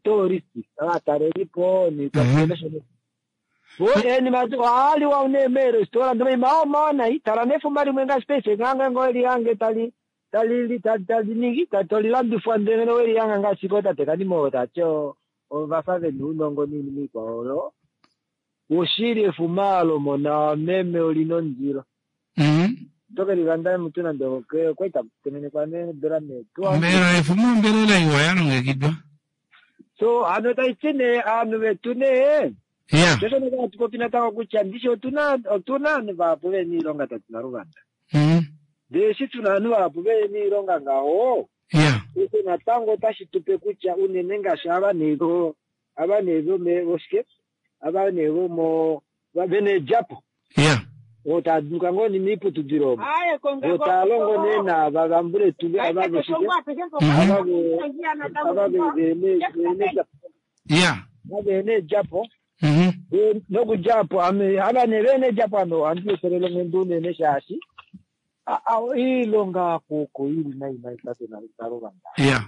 tourist ovatalelipo niikwasho. Ohaliwa nee meerestaurant omaima omawa nai tala nefuma limwe ngaashi paife ngange ngo elihange tali tali tali ningi tolilandifwa ndele welihanga ngaashi ko tate Kanime tati ovafa vena ounongo noinima ikwao oyo. Oshili efuma lomona meme olina ondilo. Oto ke lilanda mutu nande okwali takutengenekwa needola nee. Mbela efuma ombelela iwa yalongekidwa. So hano taiti nee ovanhu vetu nee shosho nee hatu popi natango kutya ndishi otuna ovanhu vahapu vena oilonga tatu naluvanda. Ndele eshi tuna ovanhu vahapu vena oilonga ngaho osho natango otashi tupe kutya unene ngaashi ava nee ava nee voshike ava nee vomo vena eedjapo oo taaduka ngoo moiputudilo omo oo taalongo nee naava vambuletu ava voshike ava vena eedjapo vena eedjapo nokudja apo ava nee vena eedjapo ame ohandi etelele onghenda unene shaashi iilonga kuko ili nai nai tate naluvanda.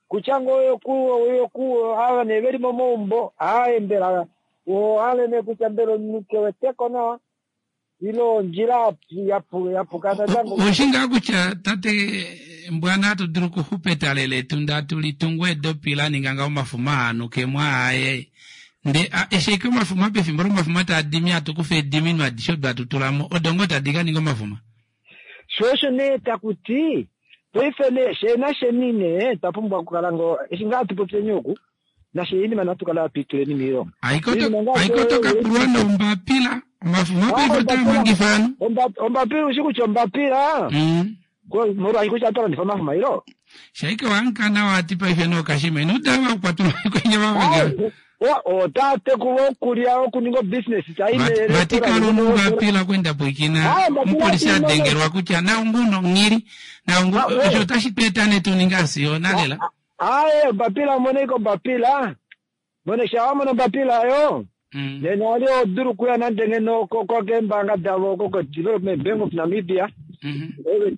Kutya ngoo oyoku ava nee veli momaumbo aaye mbela ohale nee kutya mbela omunhu keweteko nawa ile ondjila yapuka natango. Oshi ngaa kutya tate Mbwana atu dulu okuxupa etale letu ndee atu litungu eedopi la ninga ngaho omafuma aanukemo aaye nde eshi ashike omafuma pefimbo lomafuma taadimi hatu kufa eediminwa adishe odo hatu tula mo odo ngoo tadi ka ninga omafuma. Sho osho nee takuti paife nee shee nasheni nee twa pumbwa okukala ngoo eshi ngaa hatu popyeni oku nashe inima natu kala hatu ituleni miilonga. Aiko tokapulwa nombapila omafuma paife otaa mangifa ovanhu. Ombapila ushi kutya ombapila molwaashi kutya oto landifa omafuma ilo. Shaike wankana wati paife nookashima ino dava kukwatulwa kwenye vavangela. Otaa tekulwa okulya okuninga obusiness vati kalunu ombapila kwenda pwikina omupolisi adengelwa kutya naunguno nghili naungu osho otashi tu eta nee tuninga asiyona lela. Aaye ombapila omoneko ombapila mone sha wamona ombapila yo nena ali odulu okuya nande ngeno keembanga davo ko Development Bank of Namibia ove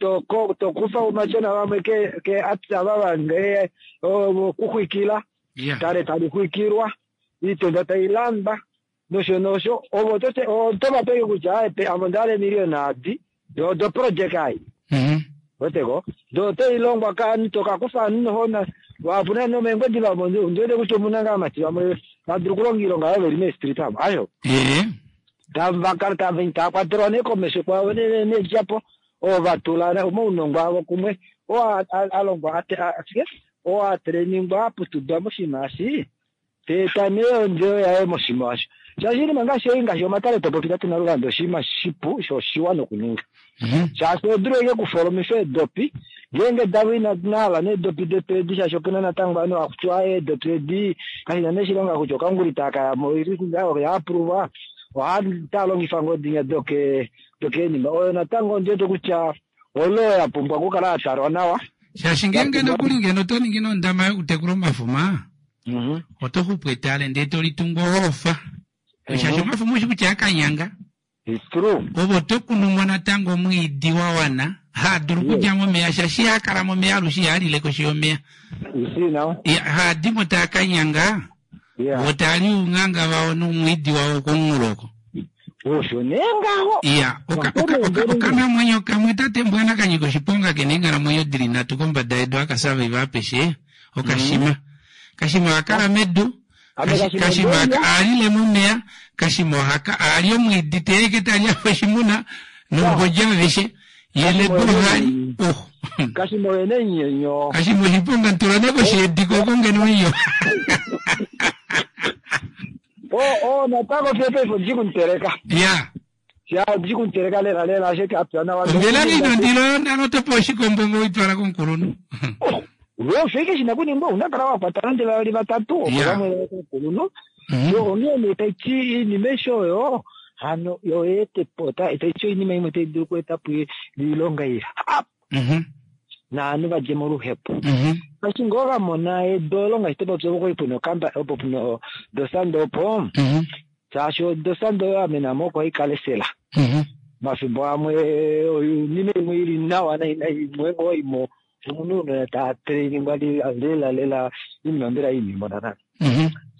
tokufa omashona vamwe ke ava vange okuxwikila tale tali xwikilwa iitenda tailandwa nosho nosho ovo otovapeke kutya ame ondahala emiliyona adi do project ai weteko do otailongwa kaanhu tokakufa ovanhu nohona vapuna nomeengodi vamo ndiwete kutya omuna ngaa amati vamwe vadulu okulonga oilonga oyo veli meestreet amo asho tavakala taakwatelwa nee komesho kwavo needjapo oo vatula omaunongo avo kumwe oo alongwa ashike oo atreningwa aputudwa moshinima eshi teeta nee ondjo yaye moshinima osho shaashi oinima ngaashi ei ngaashi omatale topopi tatu naluvanda oshinima shipu sho oshiwa nokuninga shaashi odulu eke kufolomifa eedopi ngeenge davo inahala needopi detu edi shaashi opuna natango ovanhu hakutiwa eedopi edi kashina nee shilonga kutya okanguli takayamo yaapuruvwa ohaa longifa ngoo dinya dokeenima oyo natango ondiwete kutya olo yapumbwa okukala yatalwa nawa shaashi ngeenge nokuli ngeno oto ningi nondama yokutekula omafuma oto xupu etale ndee tolitungu ohofa shaashi omafuma oshi kutya akanyanga ovo oto kunumo natango omwiidi wa wana haadulu okudja momeya shaashi ihakala momeya alushe ihalile koshi yomeya haadimo taakanyanga vo taali ounganga vao noumwiidi wao komunghulo oko osho nee ngaho iya okanamwenyo kamwe tate Mbwana kanyika oshiponga kena eenghalamwenyo dili nhatu kombada yedu akasavaiva apeshe okashima kashima ohakala medu kashima aalile momeya kashima ohaka aali omwiidi teeke tali afa oshimuna nombodja aveshe yeledu ohali kashima oyene nyenyo kashima oshiponga ntula ne kosheedi koko ngeno iyo o natango fye paife ondi kumuteleka ya ya ondi kumuteleka lela lela ashike apya nawa ombela ino ndilo nalo topa oshikombo ngo itwala komukulunhu. Osho ike shina kuningwa una kala wakwata nande vavali vatatu opo vamwe vakulunhu. Yo onghee nee taiti iinima aishe oyo hano yo yeetepo taiti oinima imwe tai dulu okweeta po oilonga ihapu naanhu vadje moluhepo. Ngaashi ngoo vamona edu olo ngaashi topopya opo kwali puna okamba opo puna dosando opo shaashi odosando oyo amenamo oko haikala esela. Omafimbo amwe oinima imwe ili nawa naimwe ngoo imo omunhu una ta trainingwa lela lela iinima mbela iinima nana.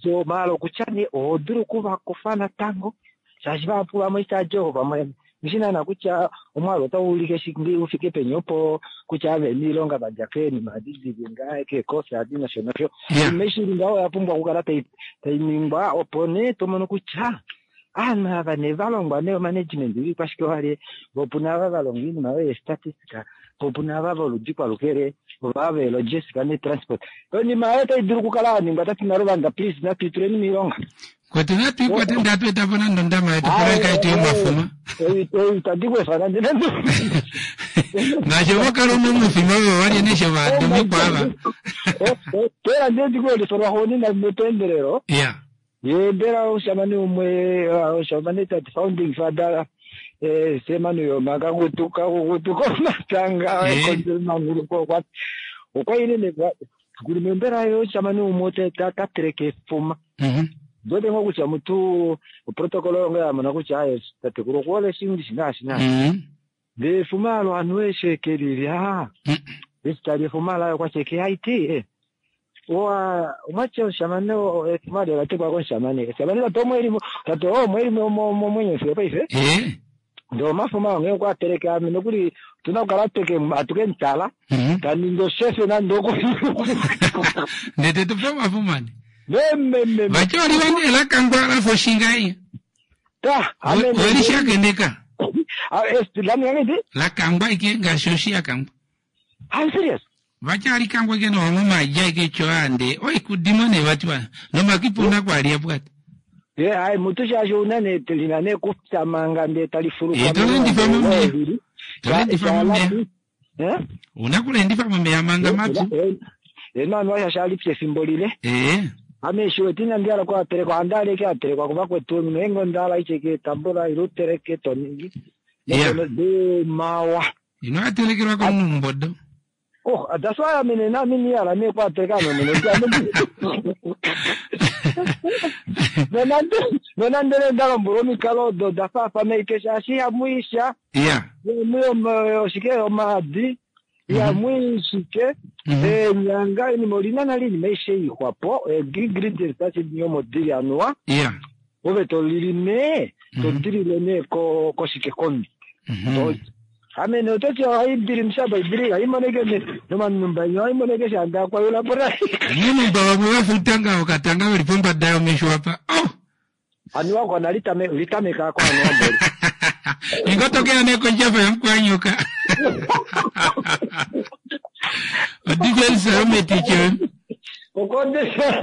So maala okutya nee oho dulu okuvakufa natango shaashi vahapu vamwe itaaji ovo vamwe ndishi naana kutya omwaalu otau ulike ufike peni opo kutya ave niilonga vadja keenima adi dili ngaa keekosi adi nosho nosho. Iinima aishe ili ngaho oya pumbwa okukala tai ningwa opo nee tomono kutya aanhu ava nee valongwa nee omanagement oikwashike wale vo opuna ava valongwa oinima oyo yestatistica po opuna ava voludi kwalukele ova veelogistica netransport. Oinima oyo otai dulu okukala yaningwa tati Naluvanda please natu ituleni miilonga. Kwetu natu ikwate ndee atu etapo nande ondama yetu poloyeka yetu yomafuma. Itandi kuefa nande nande. Ngaashi ovakala una omufima ovo valye nesho vaadumikwa ava. Pera ndee ndikuelifa lwaxuunina mepeendelelo. Ya. Ye mbela omushamane umwe oshamane tati founding father Sam Nujoma kakutu kakukutu komatanga ekondjelomanguluko okwa ile ne kuli mbela ye omushamane umwe ta teleke efuma. Ndote ngoo kutya mutu oprotocol oyo ngoo yamona kutya aye tatekulu okuhole shingi naashi naashi. Ndee efuma alo ovanhu eshe kelilya. Eshi tali efuma laye okwati eke haiti omwati omushamane efuma ola tekwa komushamane. Omushamane tate omwelimo tate omwelimo momwenyo fiyo paife. Ndee omafuma onghee okwa teleka ame nokuli otuna okukala hatu ke mutala taningi oshefe nande oku. Ndee tetupe omafuma ne. Memememe. Vati oliwa nee lakangwa lafa oshinga. Ta, Welishakeneka. Lamingangiti? Lakangwa ike ngaashi oshi yakangwa. I'm serious. Vati alikangwa ike nohomo maji ike choande. Oi kudimo ne vati wa. Nomakipuna kwalia pwati. Ye hai mutu shaashi una nee lina nee kupya manga ndee tali fuluka. Tolendifa momeya. Tolendifa momeya. Una kulendifa momeya manga mapyu. Eno anu shali pya efimbo lile. Ame shiwete inandi hala okuatelekwa ohandi hala ike atelekwa kuvakwetu ngeenge onda hala ishike tambula ile uteleke toningi. Mawa. Ino atelekelwa komunhu Oh, that's why ame nena ame nihala nee okuateleka ame mwene. Nonande nee nda lombwelwa omikalo odo da faafana ike shaashi ihamu isha. Ihamu oshike omaadi. Ihamu ishike. Eenyanga oinima olina nale oinima aishe ixwapo. Ingredients tashi omo dili anuwa. Ove tolili nee todilile nee koshike komi. Ame nee ototi ohaidili mushaba idili haimoneke nomanumba inyo haimoneke shanda kwayula po nai. Omanumba vamwe vafuta ngaho okatanga veli pombada yomesho apa. Oh! Aniwa kona litameka ko anuwa mboli. Ingotokela nee kondjafa yamukwanyoka. Odifensa yometiche. Okondesha.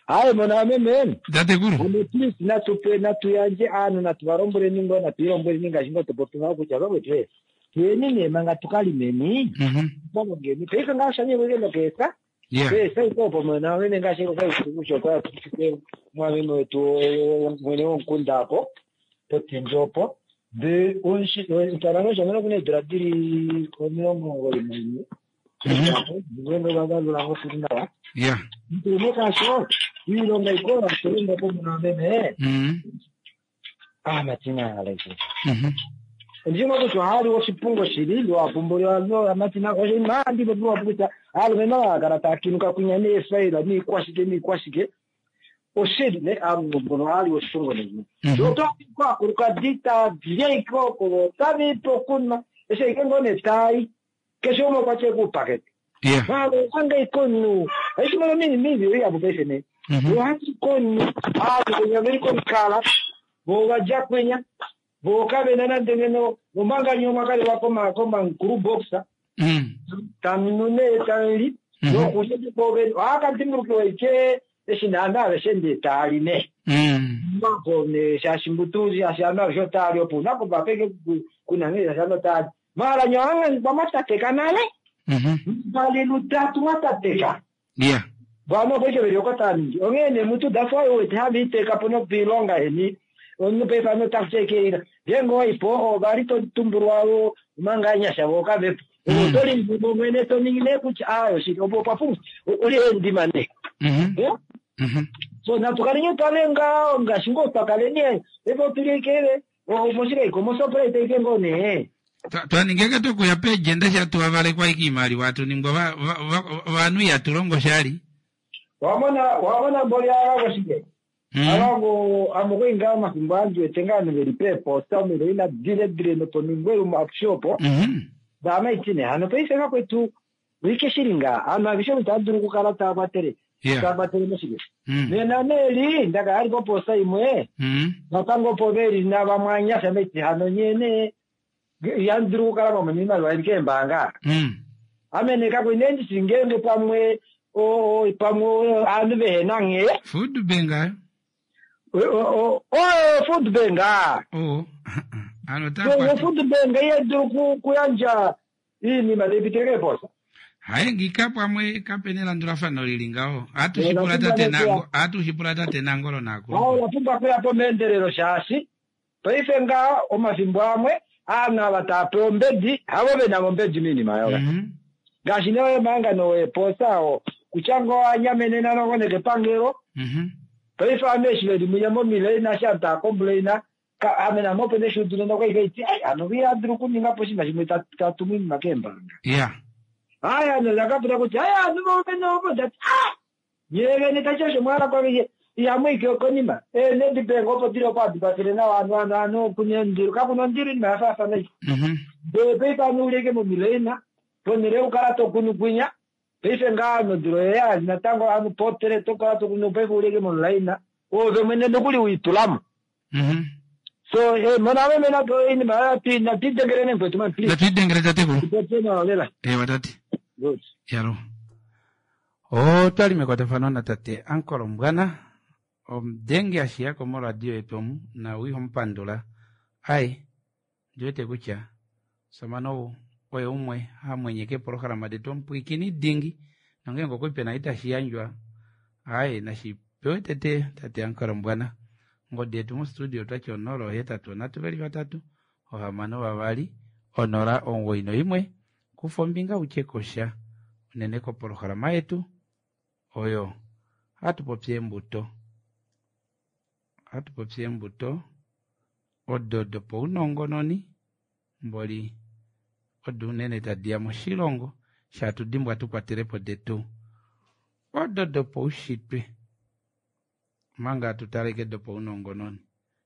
Hayi mona meme. Tatekulu. Ame please natupe natuyandje aanhu natuva lombweleni ngoo natuilombweleni ngaashi ngoo topopi ngaho kutya vakwetu tuyeni nee manga tukalimeni. Tukalongeni. Paife ngaho shanyekwe nokeesa. Keesa iko opo mona meme ngaashi kokaikusho kwa mwameme wetu mwene womukunda apo potindi opo. De onshi shamene kuna eedula dili 91. Ngenge vavalula ngo fili nawa. Ndine kasho iilonga ikola tulonga po muna meme. Ah matina alaiki. Ndimo kutya ohali oshipungo shili lwapumbuliwa matina oshinima ndipo piwa kutya alumenhu ava kala taa kinuka kunya neefaila niikwashike niikwashike oshili ne aanhu mbono ohali oshipungo nini. Oto kwakulukadi taalye oko tavipe okunwa eshi ike ngoo netai keshe umwe okwa tya ekuupakete. Anga ikonu aishimono mini mivi iyapo paife ne. Ohandi konu aanhu kunya veli komukala vo vadya kwenya vo kavena nande ngeno omanga nyoma kali va komankulu boxa tamunu nee tali nokulya poveni ohakadimbulukiwa ike eshi naana aveshe ndee taali ne. Mako ne shaashi mbutu shaashi anu aveshe otaali opo una kovapeke kuna nghee shaashi anu otaali. Maala nyoanga mwatateka nale. Mbali lutatu mwatateka. Yeah. Vano paife veli oko tava ningi. Onghee nee mutu that's why uwete hava iteka po nopiilonga yeni. Omunhu paife ame otaku ngeenge owaipo ova li to tumbulwa omanga anyasha vo kavepo. Oto lindimo mwene to ningi nee kutya aayo shili opo opwa pumbwa uli endima nee. So natu kaleni twa lenga ngaashi ngoo twa kaleni paife otuli ike moshikaiko moShoprite ike ngoo nee. Twaningeke tokuya peejenda shatuwavalekwa ike iimaliwa atuningwa ovanhu ihatu longo shali. Wamona wamona mboli avago shike. Avago amukuinga omafimbo andi wete ngaa ovanhu veli peeposta omilo ina dile dile noponingwelumo apushe opo. Vaamaitine hano paife vakwetu oike shili ngaa ovanhu aveshe itava dulu okukala tava kwatele tava kwatele moshike. Nena neeli ndaka ali poposta imwe natango opo veli navamwe anyasha maiti hano nyee nee ihamu dulu okukala mwamona iimaliwa ili keembaanga. Ame nee kakwe nee ndishi ngeenge pamwe pamwe ovanhu vehena nghee. Food bank ayo. Oyo food bank. Oh. Ano ta food bank iha dulu kuyandja iinima tai pitile keeposa. Haye ngika pamwe kapena elandulafano lili ngaho. Atushipula tate nango, atushipula tate nangolo nako. Ola pumbwa kuya po meendelelo shaashi paife ngaa omafimbo amwe aanhu ava tava pewa ombedi havo vena ombedi miinima yoga. Ngaashi nee omahangano weeposa oo kutya ngoo anyamenena nongo nekepangelo. Paife ame eshi veli munya momileina eshi aanhu tava complaina ame name opo neshuudu nena okwa iti ai hano iha dulu okuninga po oshinima shimwe tatumu iinima keembaanga. Yeah. Aya hano ndakapula kutya aya aanhu vovene ovo ndati ah nyee vene tashi osho mwahala kwame ihamu ike konima. Nedbank opo dili opo hadi kwafele nawa aanhu aanhu aanhu kuna ondilo kakuna ondilo iinima ya faafana ei. Ndele paife aanhu uleke momileina ponhele yokukala to kunu kwinya paife ngaa nodilo yeya natango aanhu potele tokala to kunu paife uleke momulaina ove mwene nokuli wiitulamo. So mona ame mena iinima natwidengele nemkwetu man please. Natwidengele tatekulu. Tupopye nawa lela. Ewa tate. Good. Yalo. Otwali mekwatafano natate Ankolo Mbwana omudenge ashiyako moradio yetu omu na wiihomupandula. Ai ndiwete kutya samana ou oye umwe hamwenyeke epolohalama detu omupwiikini dingi nongeenge okuli pena itashi yandjwa ai nashi pewe tete tate Ankolo Mbwana. Ngodi yetu mostudio twati 083 3 6 2 091 kufa ombinga utye kosha unene kopolohalama yetu oyo hatu popi eembuto. Hatu popi eembuto odo dopaunongononi mboli odo unene tadi ya moshilongo shatu dimbwa tukwatelepo detu odo dopaushitwe manga tutaleke dopaunongononi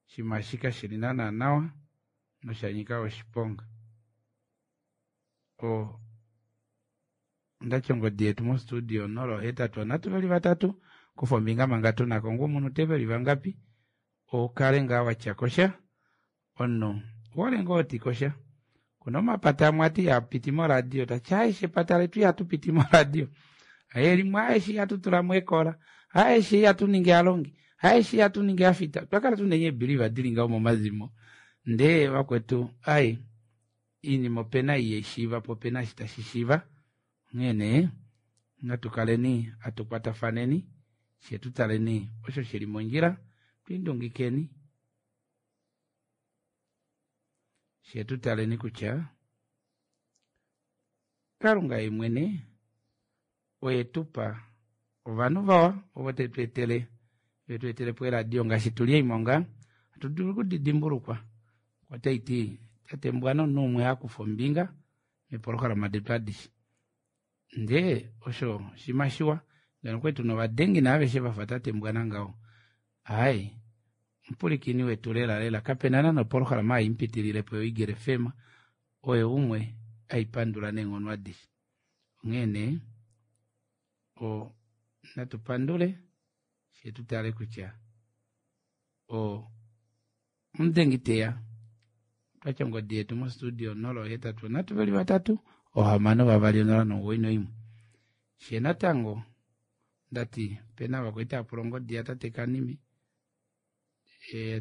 shima shika shili naana nawa noshanyika oshiponga. O ndati ongodi yetu mostudio 083 3 kufa ombinga manga tunako ngu omunhu teveli vangapi okale ngaa watya kosha omunhu wole ngoo oti kosha. Kuna omapata amwe ati ihapiti moradio tati aishe epata letu ihatu piti moradio. Aye limwe aishe ihatu tulamo ekola aishe ihatu ningi alongi aishe ihatu ningi afita. Twakala tuna ebiliva dili ngaho momazimo ndee vakwetu ai iinima opena iyeshiiva po opena eshi tashi shiiva. Onghee nee natu kaleni atukwatafaneni fye tutaleni osho shili mondjila twindungikeni fye tutaleni kutya Kalunga ye mwene oye tupa ovanhu vawa ovo tetu etele vetu etele po eradio ngaashi tuli eimonga atu dulu okudidimbulukwa otaiti tate Mbwana omunhu umwe hakufa ombinga mepolohalama detu adishe ndee osho shima shiwa ngeno kwetu novadengi naaveshe vafa tate Mbwana ngaho ai omupulikini wetu lela lela kapena nana opolohalama haimupitililepo yoEagle FM oyo umwe aipandula neenghono adishe. Onghee nee o natu pandule fye tutale kutya o omudengi teya twatya ongodi yetu mostudio 083 3 6 2 091. Fye natango ndati pena vakwaita apula ongodi yatate Kanime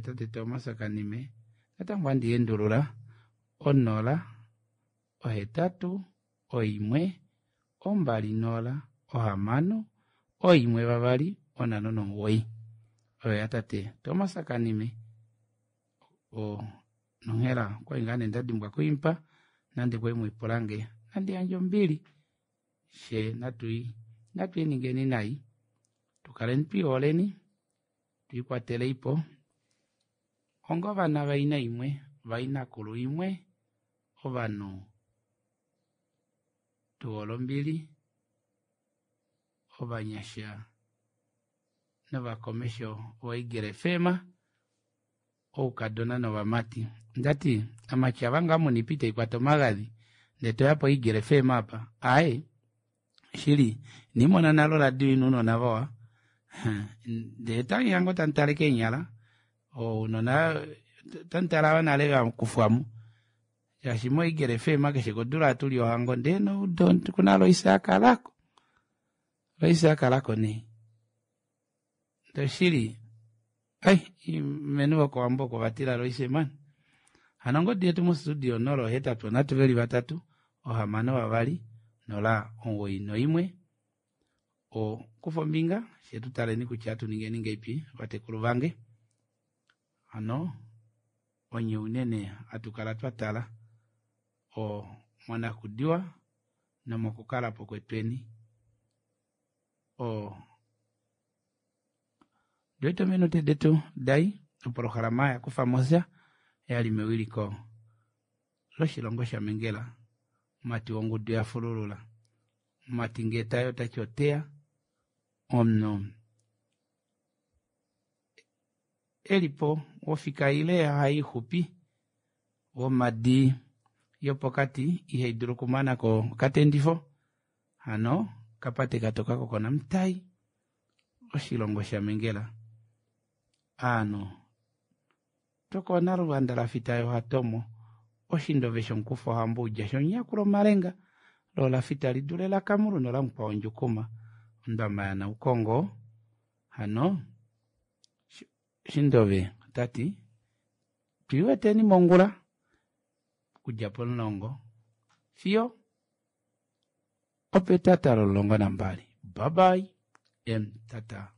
tate Thomas Kanime natango andi endulula 0 8 1 2 0 6 1 2 5 9. Oyo yatate Thomas Kanime o nonghela okwali ngaa nee ndadimbwa kuimpa nande kwali mwiipulange nandi yandje ombili she natui natwiiningeni nai tukaleni twiiholeni twiikwateleipo onga ovana vaina imwe vainakulu imwe ovanhu tuhole ombili ovanyasha novakomesho voEagle FM oukadona novamati ndati amati ava ngaa muna ipa itaikwata omagadhi ndee toya po Eagle FM apa aaye shili inimona nale oradio ina ounona vawa ndee tangi ngo tamutale keenyala ounona otamutale ava nale vakufwamo shaashi mo Eagle FM keshe kodula hatuli ohango ndee noudo kuna Loisa akalako Loisa akalako nee doshili ai menu vokowambo oko vatila Loise mani hano ongodi yetu mostudio 083 3 6 2 0 91 o kufa ombinga fye tutaleni kutya atuningeni ngeipi vatekulu vange hano onye unene hatukala twatala o monakudiwa nomokukalapo kwetweni o ndiwete ominute detu dai opolohalama yakufa mosha yali mewiliko loshilongo shamengela mumati wongudu yafululula mumati ngee tayi otati oteya omunhu elipo wofika ile haixupi womadi yopokati ihaidulu okumanako okatendifo hano kapate katoka kokonamutai oshilongo shamengela aanhu tokoona luvanda lafita yohatomo oshindove shomukufa ohamba udja shonyakulo omalenga loo lafita lidule lakamulu nolamukwao ndjukuma ondama yanaukongo hano shindove tati twiiweteni mongula okudja pomulongo fiyo opetata lomulongo nambali bye bye m tata.